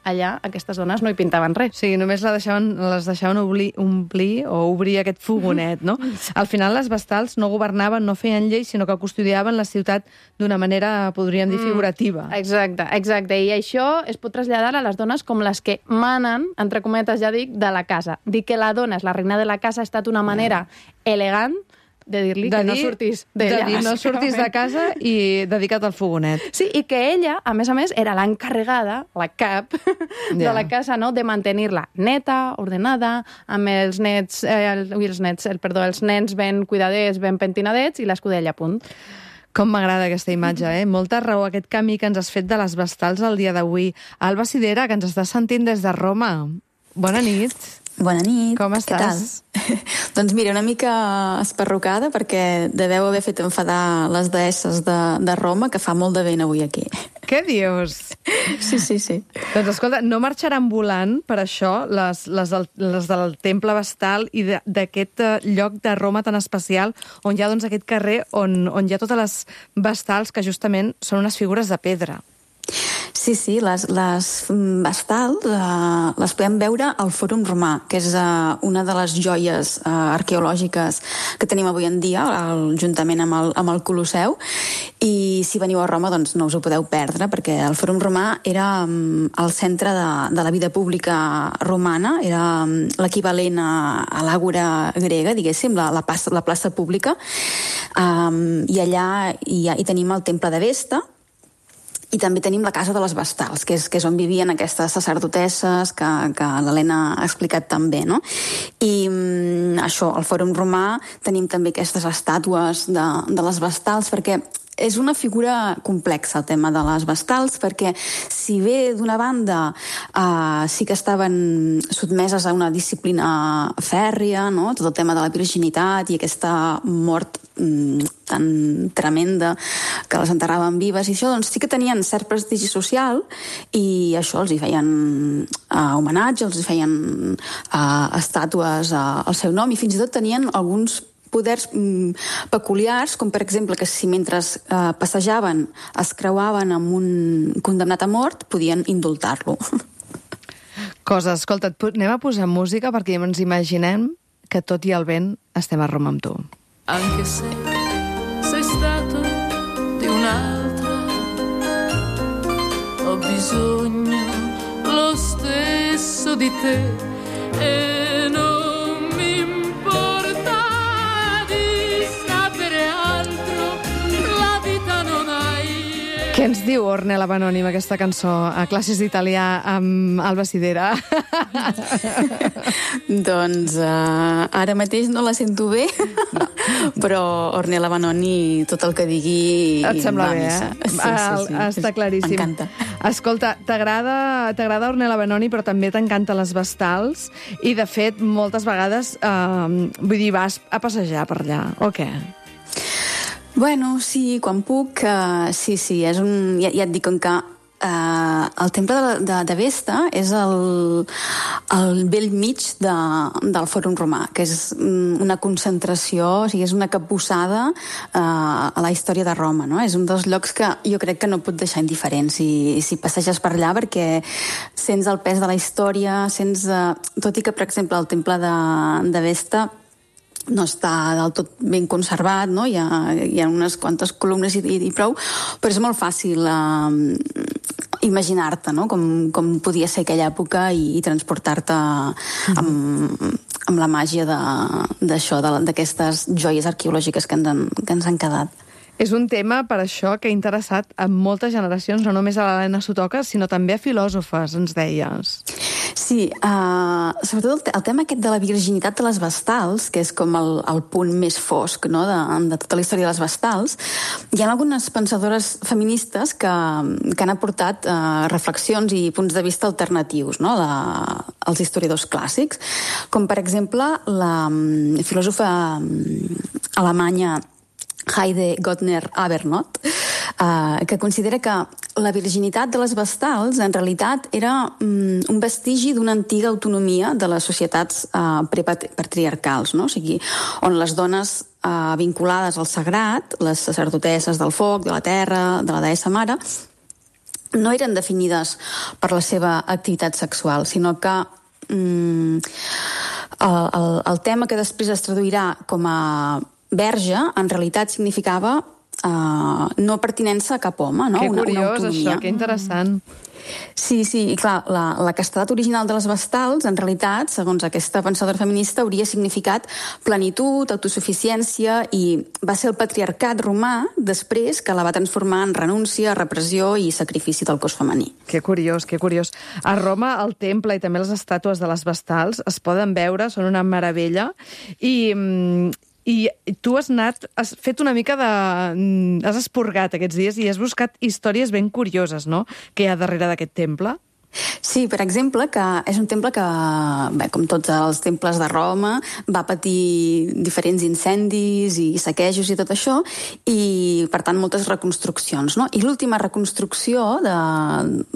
allà aquestes dones no hi pintaven res. Sí, només la deixaven, les deixaven omplir, omplir o obrir aquest fogonet, no? Al final les vestals no governaven, no feien lleis, sinó que custodiaven la ciutat d'una manera, podríem dir, figurativa. Mm, exacte, exacte. I això es pot traslladar a les dones com les que manen, entre cometes ja dic, de la casa. Dir que la dona és la reina de la casa ha estat una manera elegant de dir-li que dir, no sortís d'ella. De dir, no sortis de casa i dedica't al fogonet. Sí, i que ella, a més a més, era l'encarregada, la cap, de ja. la casa, no?, de mantenir-la neta, ordenada, amb els nets, eh, el, ui, els nets, el, perdó, els nens ben cuidadets, ben pentinadets i l'escudella a punt. Com m'agrada aquesta imatge, eh? Molta raó aquest camí que ens has fet de les vestals el dia d'avui. Alba Sidera, que ens estàs sentint des de Roma. Bona nit. Bona nit. Com estàs? Què tal? Doncs mira, una mica esparrucada perquè deveu haver fet enfadar les deesses de, de Roma, que fa molt de vent avui aquí. Què dius? Sí, sí, sí. Doncs escolta, no marxaran volant per això les, les, del, les del Temple Vestal i d'aquest lloc de Roma tan especial on hi ha doncs, aquest carrer on, on hi ha totes les vestals que justament són unes figures de pedra. Sí, sí, les, les vestals uh, les podem veure al Fòrum Romà, que és uh, una de les joies uh, arqueològiques que tenim avui en dia, el, juntament amb el, amb el Colosseu. I si veniu a Roma, doncs no us ho podeu perdre, perquè el Fòrum Romà era um, el centre de, de la vida pública romana, era um, l'equivalent a, a l'àgora grega, diguéssim, la, la, plaça, la plaça pública. Um, I allà hi, ha, hi tenim el Temple de Vesta, I també tenim la Casa de les Vestals, que és, que és on vivien aquestes sacerdotesses que, que l'Helena ha explicat també, no? I mm, això, al Fòrum Romà tenim també aquestes estàtues de, de les Vestals, perquè és una figura complexa el tema de les Vestals, perquè si bé d'una banda eh, sí que estaven sotmeses a una disciplina fèrria, no? Tot el tema de la virginitat i aquesta mort mm, tan tremenda que les enterraven vives i això, doncs sí que tenien cert prestigi social i això els hi feien eh, homenatge, els hi feien eh, estàtues eh, al seu nom i fins i tot tenien alguns poders mm, peculiars, com per exemple que si mentre eh, passejaven es creuaven amb un condemnat a mort, podien indultar-lo. Cosa, escolta, anem a posar música perquè ens imaginem que tot i el vent estem a Roma amb tu. Anche se sei stato di un'altra, ho bisogno lo stesso di te e non mi importa di sapere altro, la vita non hai. Què ens diu Ornella Vanoni amb aquesta cançó a classes d'italià amb Alba Sidera? Doncs uh, ara mateix no la sento bé, no. Però Ornella Vanoni tot el que digui et sembla va bé, missa. eh? Sí, sí, sí. Està claríssim. M'encanta. Escolta, t'agrada Ornella Vanoni, però també t'encanta les Vestals i, de fet, moltes vegades eh, vull dir, vas a passejar per allà, o què? Bueno, sí, quan puc, uh, sí, sí, és un, ja, ja et dic com que uh, el temple de, de, de Vesta és el, el vell mig de, del Fòrum Romà, que és una concentració, o sigui, és una capbussada uh, a la història de Roma, no? És un dels llocs que jo crec que no pot deixar indiferent si, si passeges per allà, perquè sents el pes de la història, sents, uh, tot i que, per exemple, el temple de, de Vesta no està del tot ben conservat, no? Hi ha, hi ha unes quantes columnes i, i, i prou, però és molt fàcil eh, imaginar-te, no? Com, com podia ser aquella època i, i transportar-te amb, amb la màgia d'això, d'aquestes joies arqueològiques que ens han, que ens han quedat. És un tema, per això, que ha interessat a moltes generacions, no només a l'Helena Sotoca, sinó també a filòsofes, ens deies. Sí, uh, sobretot el, el tema aquest de la virginitat de les Vestals, que és com el, el punt més fosc, no?, de, de tota la història de les Vestals, hi ha algunes pensadores feministes que, que han aportat uh, reflexions i punts de vista alternatius, no?, de, als historiadors clàssics, com per exemple la um, filòsofa um, alemanya Heide Gottner-Abernot, eh, que considera que la virginitat de les Vestals en realitat era um, un vestigi d'una antiga autonomia de les societats eh, prepatriarcals, no? O sigui, on les dones eh, vinculades al sagrat, les sacerdotesses del foc, de la terra, de la deessa mare, no eren definides per la seva activitat sexual, sinó que um, el, el, el tema que després es traduirà com a verge, en realitat significava uh, no pertinença a cap home, no? Que una, curiós, una autonomia. això, que interessant. Sí, sí, i clar, la, la castedat original de les Vestals, en realitat, segons aquesta pensadora feminista, hauria significat plenitud, autosuficiència, i va ser el patriarcat romà després que la va transformar en renúncia, repressió i sacrifici del cos femení. Que curiós, que curiós. A Roma, el temple i també les estàtues de les Vestals es poden veure, són una meravella, i... I tu has anat, has fet una mica de... has esporgat aquests dies i has buscat històries ben curioses, no?, que hi ha darrere d'aquest temple. Sí, per exemple, que és un temple que, bé, com tots els temples de Roma, va patir diferents incendis i saquejos i tot això, i, per tant, moltes reconstruccions, no? I l'última reconstrucció, de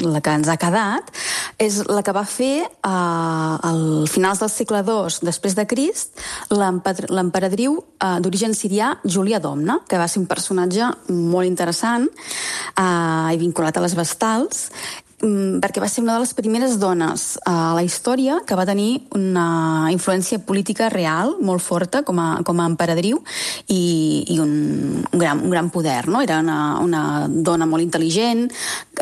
la que ens ha quedat, és la que va fer eh, al finals del segle dos després de Crist l'emperadriu eh, d'origen sirià Júlia Domna, que va ser un personatge molt interessant eh, i vinculat a les Vestals, perquè va ser una de les primeres dones a la història que va tenir una influència política real molt forta com a, com a emperadriu i, i un, un, gran, un gran poder, no? Era una, una dona molt intel·ligent,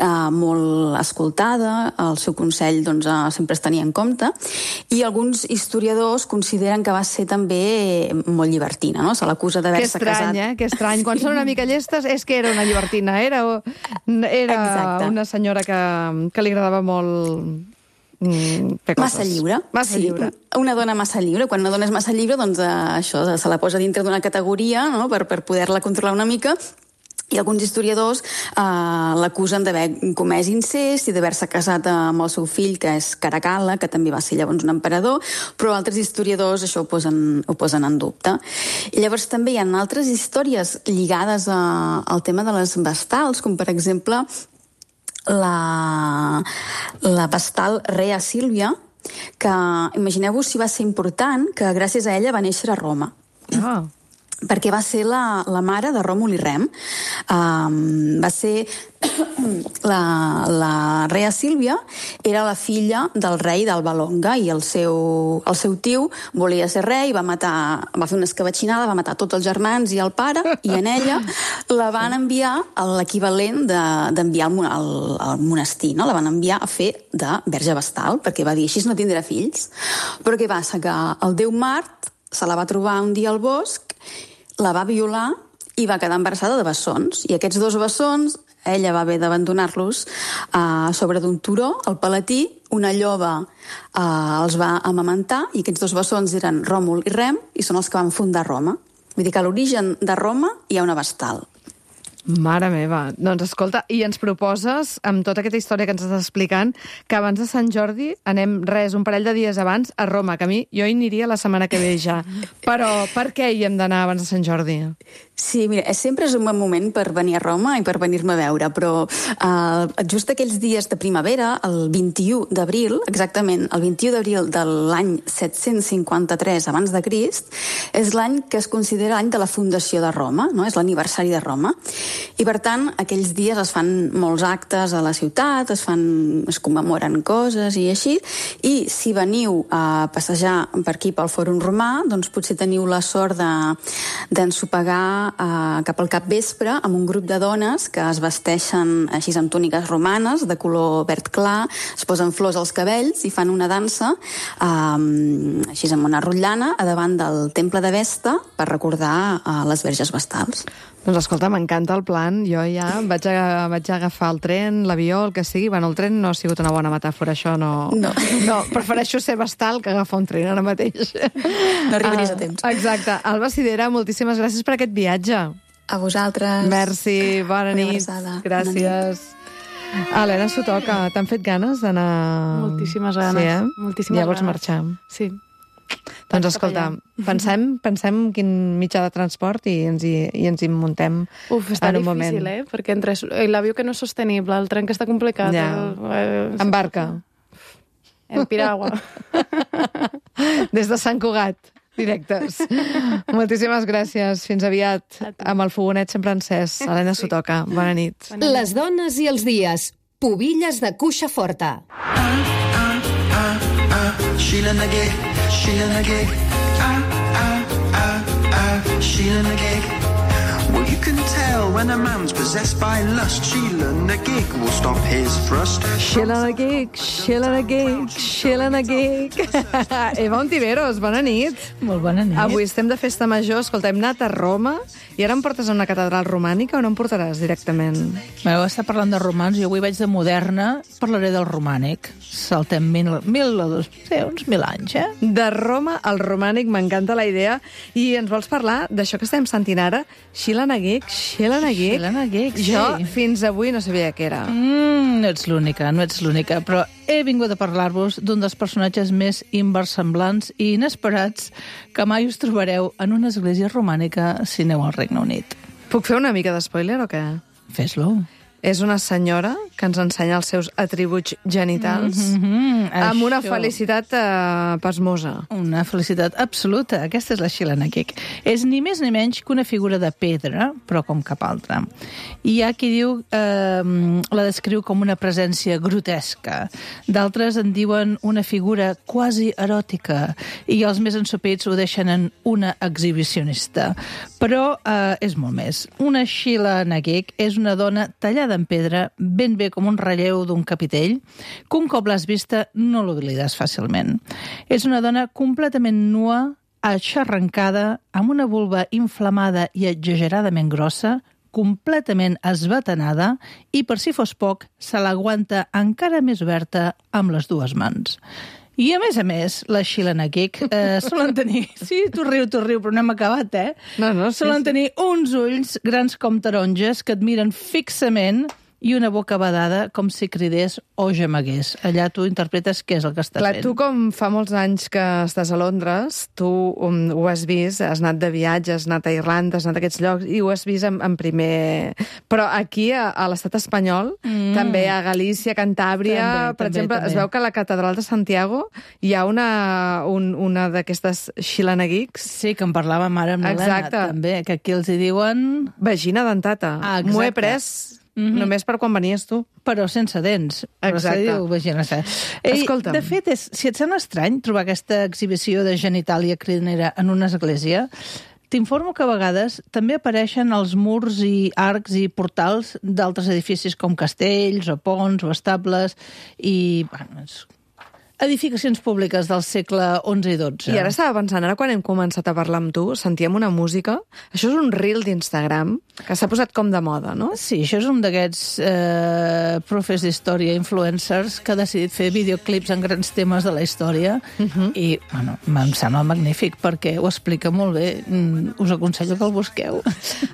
eh, molt escoltada, el seu consell doncs, eh, sempre es tenia en compte, i alguns historiadors consideren que va ser també molt llibertina, no? Se l'acusa d'haver-se casat... Que estrany, eh? Que estrany. Quan són una mica llestes és que era una llibertina, era, era Exacte. una senyora que, que li agradava molt... Mm, massa lliure. Massa sí, lliure. Una dona massa lliure. Quan una dona és massa lliure, doncs eh, això se la posa dintre d'una categoria, no? per, per poder-la controlar una mica. I alguns historiadors eh, l'acusen d'haver comès incest i d'haver-se casat amb el seu fill, que és Caracalla, que també va ser llavors un emperador, però altres historiadors això ho posen, ho posen en dubte. I llavors també hi ha altres històries lligades a, al tema de les vestals, com per exemple la, la vestal Rea Sílvia, que imagineu-vos si va ser important que gràcies a ella va néixer a Roma. Ah. Perquè va ser la, la mare de Ròmul i Rem. Um, va ser... la, la Rea Sílvia era la filla del rei d'Alba Longa i el seu, el seu tio volia ser rei, va matar, va fer una escabatxinada, va matar tots els germans i el pare, i en ella la van enviar a l'equivalent d'enviar de, al, al monestir, no? La van enviar a fer de verge vestal, perquè va dir, així no tindrà fills. Però què passa? Que el déu Mart se la va trobar un dia al bosc, la va violar i va quedar embarassada de bessons. I aquests dos bessons, ella va haver d'abandonar-los uh, sobre d'un turó, al Palatí, una lloba uh, els va amamentar, i aquests dos bessons eren Ròmul i Rem, i són els que van fundar Roma. Vull dir que a l'origen de Roma hi ha una vestal. Mare meva. Doncs escolta, i ens proposes, amb tota aquesta història que ens estàs explicant, que abans de Sant Jordi anem, res, un parell de dies abans, a Roma, que a mi jo hi aniria la setmana que ve ja. Però per què hi hem d'anar abans de Sant Jordi? Sí, mira, sempre és un bon moment per venir a Roma i per venir-me a veure, però uh, just aquells dies de primavera, el vint-i-u d'abril, exactament, el vint-i-u d'abril de l'any set-cents cinquanta-tres abans de Crist, és l'any que es considera l'any de la fundació de Roma, no? És l'aniversari de Roma. I, per tant, aquells dies es fan molts actes a la ciutat, es fan, es commemoren coses i així, i si veniu a passejar per aquí pel Fòrum Romà, doncs potser teniu la sort d'ensopegar Uh, cap al capvespre amb un grup de dones que es vesteixen així amb túniques romanes de color verd clar, es posen flors als cabells i fan una dansa um, així amb una rotllana a davant del temple de Vesta per recordar uh, les verges vestals. Doncs escolta, m'encanta el plan. Jo ja vaig, a, vaig agafar el tren, l'avió, el que sigui. Bueno, el tren no ha sigut una bona metàfora, això no... No. no prefereixo ser vestal que agafar un tren ara mateix. No arribaries uh, a temps. Exacte. Alba Sidera, moltíssimes gràcies per aquest viatge. A vosaltres. Merci, bona Una nit. abraçada. Gràcies. Helena, s'ho toca. T'han fet ganes d'anar... Moltíssimes ganes. Sí, eh? Moltíssimes ja vols ganes. marxar. Sí. Doncs escolta, pensem, pensem quin mitjà de transport i ens hi, i ens hi muntem Uf, està en un difícil, moment. eh? Perquè entre l'avió que no és sostenible, el tren que està complicat... Ja. El, el, En barca. En piragua. Des de Sant Cugat, directes. Moltíssimes gràcies. Fins aviat. Amb el fogonet sempre encès. Helena Sotoca, bona nit. Les dones i els dies. Pubilles de cuixa forta. Sheila Nagig, Sheila Nagig, ah, ah, ah, ah, Sheila Nagig. Well, you can tell when a man's possessed by lust. Sheila Nagig will stop his thrust. Sheila Nagig, Sheila Nagig, Sheila Nagig. Eva Ontiveros, bona nit. Molt bona nit. Avui estem de festa major. Escolta, hem anat a Roma i ara em portes a una catedral romànica o no em portaràs directament? M'heu estat parlant de romans, jo avui vaig de moderna, parlaré del romànic. Saltem mil, mil o dos, sí, uns mil anys, eh? De Roma al romànic, m'encanta la idea. I ens vols parlar d'això que estem sentint ara? Sheila Nagig, Sheila Nagig. Sheila Nagig, sí. Jo fins avui no sabia què era. Mm, no ets l'única, no ets l'única, però he vingut a parlar-vos d'un dels personatges més inversemblants i inesperats que mai us trobareu en una església romànica si aneu al Regne Unit. Puc fer una mica d'espoiler o què? Fes-lo. És una senyora que ens ensenya els seus atributs genitals Mm-hmm, amb una això. felicitat eh, pasmosa. Una felicitat absoluta. Aquesta és la Sheila Nagic. És ni més ni menys que una figura de pedra, però com cap altra. I hi ha qui diu, eh, la descriu com una presència grotesca. D'altres en diuen una figura quasi eròtica. I els més ensopits ho deixen en una exhibicionista. Però eh, és molt més. Una Sheila Nagic és una dona tallada en pedra, ben bé com un relleu d'un capitell, que un cop l'has vista no l'oblides fàcilment. És una dona completament nua, aixarrancada, amb una vulva inflamada i exageradament grossa, completament esbatanada i, per si fos poc, se l'aguanta encara més oberta amb les dues mans. I, a més a més, la Sheila Nagic eh, solen tenir... Sí, tu riu, tu riu, però no hem acabat, eh? No, no, sí, solen sí. tenir uns ulls grans com taronges que et miren fixament i una boca badada com si cridés o gemegués. Allà tu interpretes què és el que estàs Clar, fent. tu com fa molts anys que estàs a Londres, tu um, ho has vist, has anat de viatge, has anat a Irlanda, has anat a aquests llocs i ho has vist en, en primer... Però aquí, a, a l'estat espanyol, mm. també a Galícia, Cantàbria, També, per també, exemple, també. es veu que a la catedral de Santiago hi ha una, un, una d'aquestes Sheila Nagics. Sí, que en parlàvem ara amb l'Helena, Exacte. també, que aquí els hi diuen... Vagina dentata. Ah, M'ho he exacte. pres Mhm. només per quan venies tu. Però sense dents. Però se Exacte. diu vagina. Ei, Escolta'm. de fet, és, si et sembla estrany trobar aquesta exhibició de genitàlia crinera en una església, t'informo que a vegades també apareixen als murs i arcs i portals d'altres edificis com castells o ponts o estables i... Bueno, és edificacions públiques del segle onze i dotze. I ara estava pensant, ara quan hem començat a parlar amb tu, sentíem una música... Això és un reel d'Instagram que s'ha posat com de moda, no? Sí, això és un d'aquests eh, profes d'història, influencers, que ha decidit fer videoclips en grans temes de la història uh -huh. i, bueno, em sembla magnífic perquè ho explica molt bé. Mm, us aconsello que el busqueu.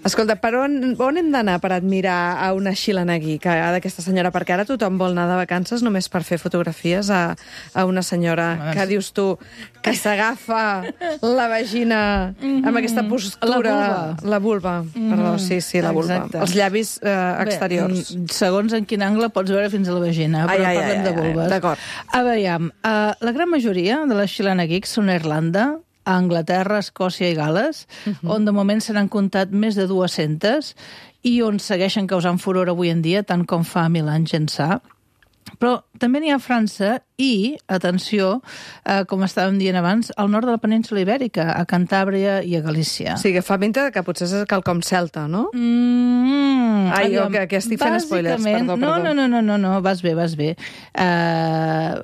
Escolta, per on, on hem d'anar per admirar a una Sheila Nagic, d'aquesta senyora? Perquè ara tothom vol anar de vacances només per fer fotografies a, a una senyora que dius tu que s'agafa la vagina mm-hmm. amb aquesta postura... La vulva. La vulva, mm-hmm. perdó, sí, sí, la vulva. Exacte. Els llavis eh, exteriors. Bé, segons en quin angle pots veure fins a la vagina, Ai, però ai, parlem ai, de ai, vulves. d'acord. A veure, uh, la gran majoria de les Sheila Nagics són a Irlanda, a Anglaterra, Escòcia i Gales, uh-huh. on de moment se n'han comptat més de dues-centes i on segueixen causant furor avui en dia, tant com fa mil anys ençà. Però també n'hi ha a França i, atenció, eh, com estàvem dient abans, al nord de la península Ibèrica, a Cantàbria i a Galícia. O sigui, que fa pinta que potser és quelcom celta, no? Mm, Ai, aviam, que, que estic fent spoilers, bàsicament- perdó, no, perdó. No, no, no, no, no, vas bé, vas bé. Uh,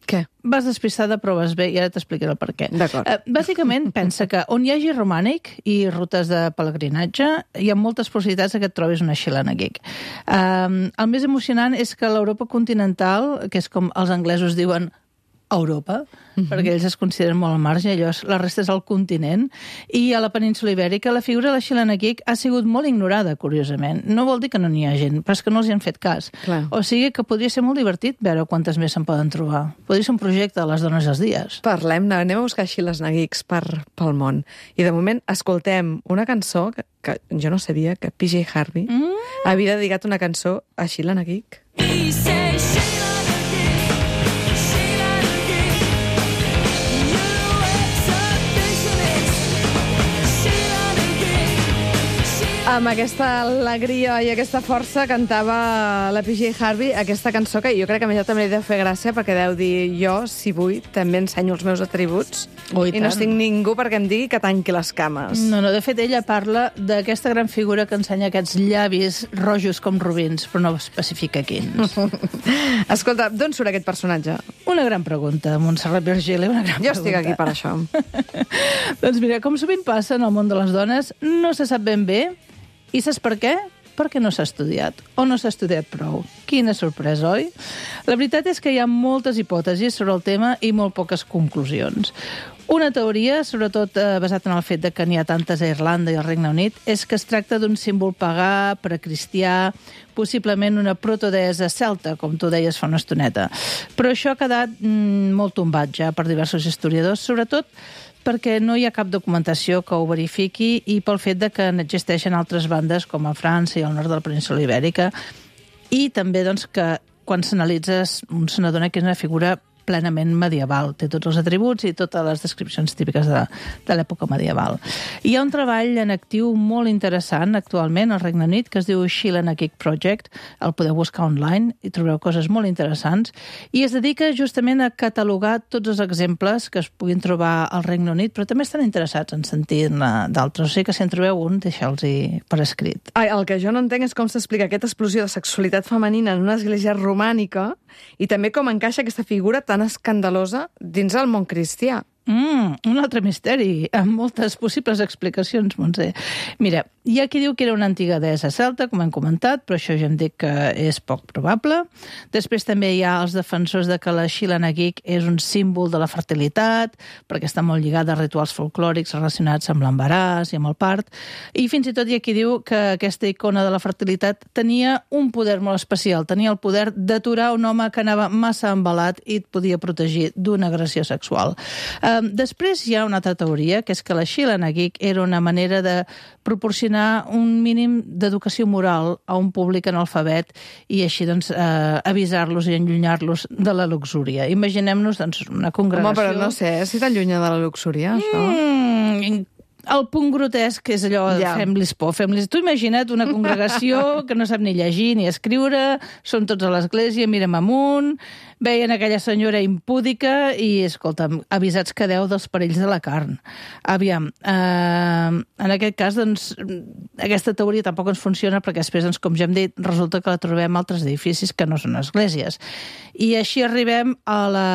Què? Vas despistada, però vas bé, i ara t'explicaré el per què. D'acord. Uh, bàsicament, pensa que on hi hagi romànic i rutes de pelegrinatge, hi ha moltes possibilitats que et trobis una Sheila Nagic. Uh, el més emocionant és que l'Europa continental, que és com els anglesos diuen Europa, uh-huh. perquè ells es consideren molt al marge, allò és, la resta és el continent, i a la península Ibèrica la figura de la Sheila Nagic ha sigut molt ignorada, curiosament. No vol dir que no n'hi ha gent, però és que no els hi han fet cas. Clar. O sigui que podria ser molt divertit veure quantes més se'n poden trobar. Podria ser un projecte de les dones als dies. Parlem-ne, anem a buscar Sheila Nagics per, pel món. I de moment escoltem una cançó que, que jo no sabia que P J Harvey mm. havia dedicat una cançó a Sheila Nagic. Amb aquesta alegria i aquesta força cantava la P J Harvey aquesta cançó que jo crec que a mi també li deu fer gràcia perquè deu dir jo, si vull, també ensenyo els meus atributs Oh, i i no tant. estic ningú perquè em digui que tanqui les cames. No, no, de fet, ella parla d'aquesta gran figura que ensenya aquests llavis rojos com rubins, però no especifica quins. Escolta, d'on surt aquest personatge? Una gran pregunta, Montserrat Virgili, una gran Jo pregunta. estic aquí per això. Doncs mira, com sovint passa en el món de les dones, no se sap ben bé. I saps per què? Perquè no s'ha estudiat, o no s'ha estudiat prou. Quina sorpresa, oi? La veritat és que hi ha moltes hipòtesis sobre el tema i molt poques conclusions. Una teoria, sobretot eh, basat en el fet de que n'hi ha tantes a Irlanda i al Regne Unit, és que es tracta d'un símbol pagà, precristià, possiblement una protodeessa celta, com tu deies fa una estoneta. Però això ha quedat mm, molt tombat ja per diversos historiadors, sobretot perquè no hi ha cap documentació que ho verifiqui i pel fet de que n'existeixen altres bandes com a França i al nord de la península Ibèrica, i també doncs, que quan s'analitzes un se n'adona que és una figura plenament medieval. Té tots els atributs i totes les descripcions típiques de, de l'època medieval. Hi ha un treball en actiu molt interessant actualment al Regne Unit que es diu Sheila Nagic Project. El podeu buscar online i trobareu coses molt interessants. I es dedica justament a catalogar tots els exemples que es puguin trobar al Regne Unit, però també estan interessats en sentir-ne d'altres. O sigui que si en trobeu un, deixeu-los per escrit. Ai, el que jo no entenc és com s'explica aquesta explosió de sexualitat femenina en una església romànica i també com encaixa aquesta figura tan escandalosa dins el món cristià. Mm, un altre misteri, amb moltes possibles explicacions, Montse. Mira, hi ha qui diu que era una antiga deessa celta, com hem comentat, però això ja em dic que és poc probable. Després també hi ha els defensors de que la Sheila Nagic és un símbol de la fertilitat, perquè està molt lligada a rituals folclòrics relacionats amb l'embaràs i amb el part. I fins i tot hi ha qui diu que aquesta icona de la fertilitat tenia un poder molt especial, tenia el poder d'aturar un home que anava massa embalat i et podia protegir d'una agressió sexual. Um, després hi ha una altra teoria, que és que la Sheila Nagic era una manera de proporcionar un mínim d'educació moral a un públic analfabet i així doncs, eh, avisar-los i enllunyar-los de la luxúria. Imaginem-nos doncs, una congregació... Home, però no sé, si t'allunya de la luxúria, això... Mm, el punt grotesc és allò, ja. fem-lis por, fem-lis... Tu imagina't una congregació que no sap ni llegir ni escriure, són tots a l'església, mirem amunt, veien aquella senyora impúdica i, escolta'm, avisats quedeu dels perills de la carn. Aviam, eh, en aquest cas, doncs, aquesta teoria tampoc ens funciona perquè després, doncs, com ja hem dit, resulta que la trobem a altres edificis que no són esglésies. I així arribem a la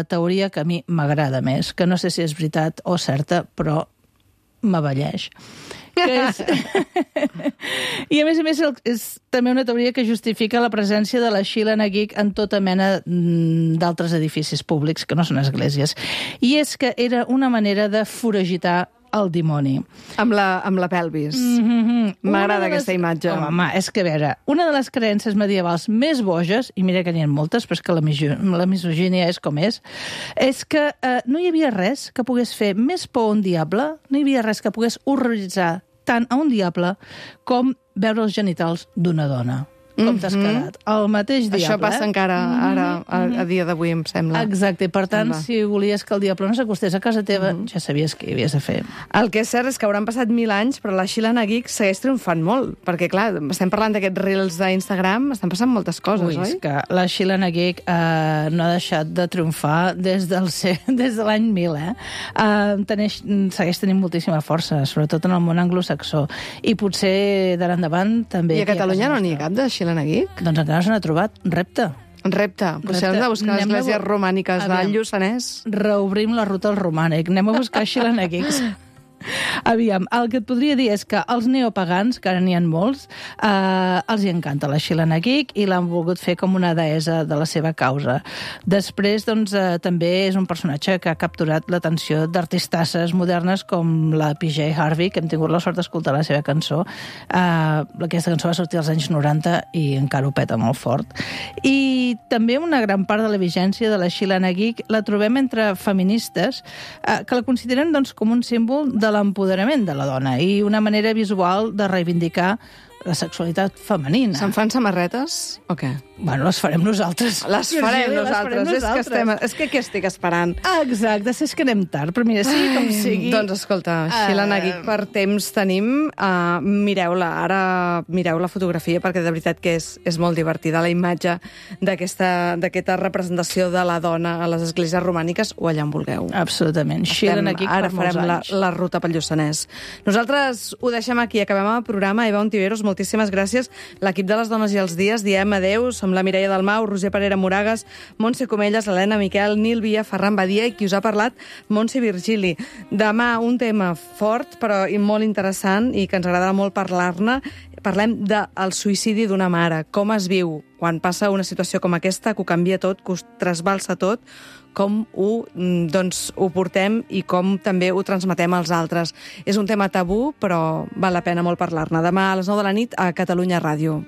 teoria que a mi m'agrada més, que no sé si és veritat o certa, però m'avelleix. Que és... I a més a més és també una teoria que justifica la presència de la Sheila Nagic en tota mena d'altres edificis públics que no són esglésies. I és que era una manera de foragitar el dimoni. Amb la, amb la pelvis. Mm-hmm. M'agrada les... aquesta imatge. Home, home, és que a veure, una de les creences medievals més boges, i mira que n'hi ha moltes, però és que la, miso... la misogínia és com és, és que eh, no hi havia res que pogués fer més por a un diable, no hi havia res que pogués horroritzar tant a un diable com veure els genitals d'una dona. Com t'has quedat. El mateix diable. Això passa encara ara, a, a dia d'avui, em sembla. Exacte, per tant, sembla. Si volies que el diable no s'acostés a casa teva, mm-hmm. ja sabies què hi havies de fer. El que és cert és que hauran passat mil anys, però la Sheila Nagic segueix triomfant molt, perquè, clar, estem parlant d'aquests reels d'Instagram, estan passant moltes coses, Ui, oi? És que la Sheila Nagic eh, no ha deixat de triomfar des, del ser, des de l'any mil, eh? eh teneix, segueix tenint moltíssima força, sobretot en el món anglosaxó. I potser d'ara endavant també... I a Catalunya no n'hi ha cap de Sheila Nagic? Doncs encara no se n'ha trobat. Repte. Repte. Potser hem de buscar Anem esglésies a... romàniques del Lluçanès. Reobrim la ruta al romànic. Anem a buscar Sheila Nagics. Aviam, el que et podria dir és que els neopagans, que ara n'hi ha molts, eh, els hi encanta la Sheila Nagic i l'han volgut fer com una deessa de la seva causa. Després, doncs, eh, també és un personatge que ha capturat l'atenció d'artistasses modernes com la P J Harvey, que hem tingut la sort d'escoltar la seva cançó. Eh, aquesta cançó va sortir als anys noranta i encara ho peta molt fort. I també una gran part de la vigència de la Sheila Nagic la trobem entre feministes eh, que la consideren doncs, com un símbol de l'empoderament de la dona i una manera visual de reivindicar la sexualitat femenina. Se'n fan samarretes o què? Bueno, les farem nosaltres. Les farem sí, nosaltres. Les farem és, nosaltres. Que estem, és que què estic esperant? Exacte, és que anem tard, però mira, sigui com sigui... Doncs escolta, Sheila Nagic, per temps tenim. Uh, mireu-la, ara mireu la fotografia, perquè de veritat que és, és molt divertida la imatge d'aquesta representació de la dona a les esglésies romàniques o allà on vulgueu. Absolutament. Sheila Nagic per molts anys. Ara farem la, la ruta pel Lluçanès. Nosaltres ho deixem aquí, acabem el programa. Eva Ontiveros, moltíssimes gràcies. L'equip de les Dones i els Dies, diem adeu, som amb la Mireia Dalmau, Roger Parera Moragas, Montse Comelles, Helena Miquel, Nil Via, Ferran Badia i qui us ha parlat, Montse Virgili. Demà un tema fort però i molt interessant i que ens agradarà molt parlar-ne. Parlem del suïcidi d'una mare, com es viu quan passa una situació com aquesta, que ho canvia tot, que ho trasbalsa tot, com ho, doncs, ho portem i com també ho transmetem als altres. És un tema tabú, però val la pena molt parlar-ne. Demà a les nou de la nit a Catalunya Ràdio.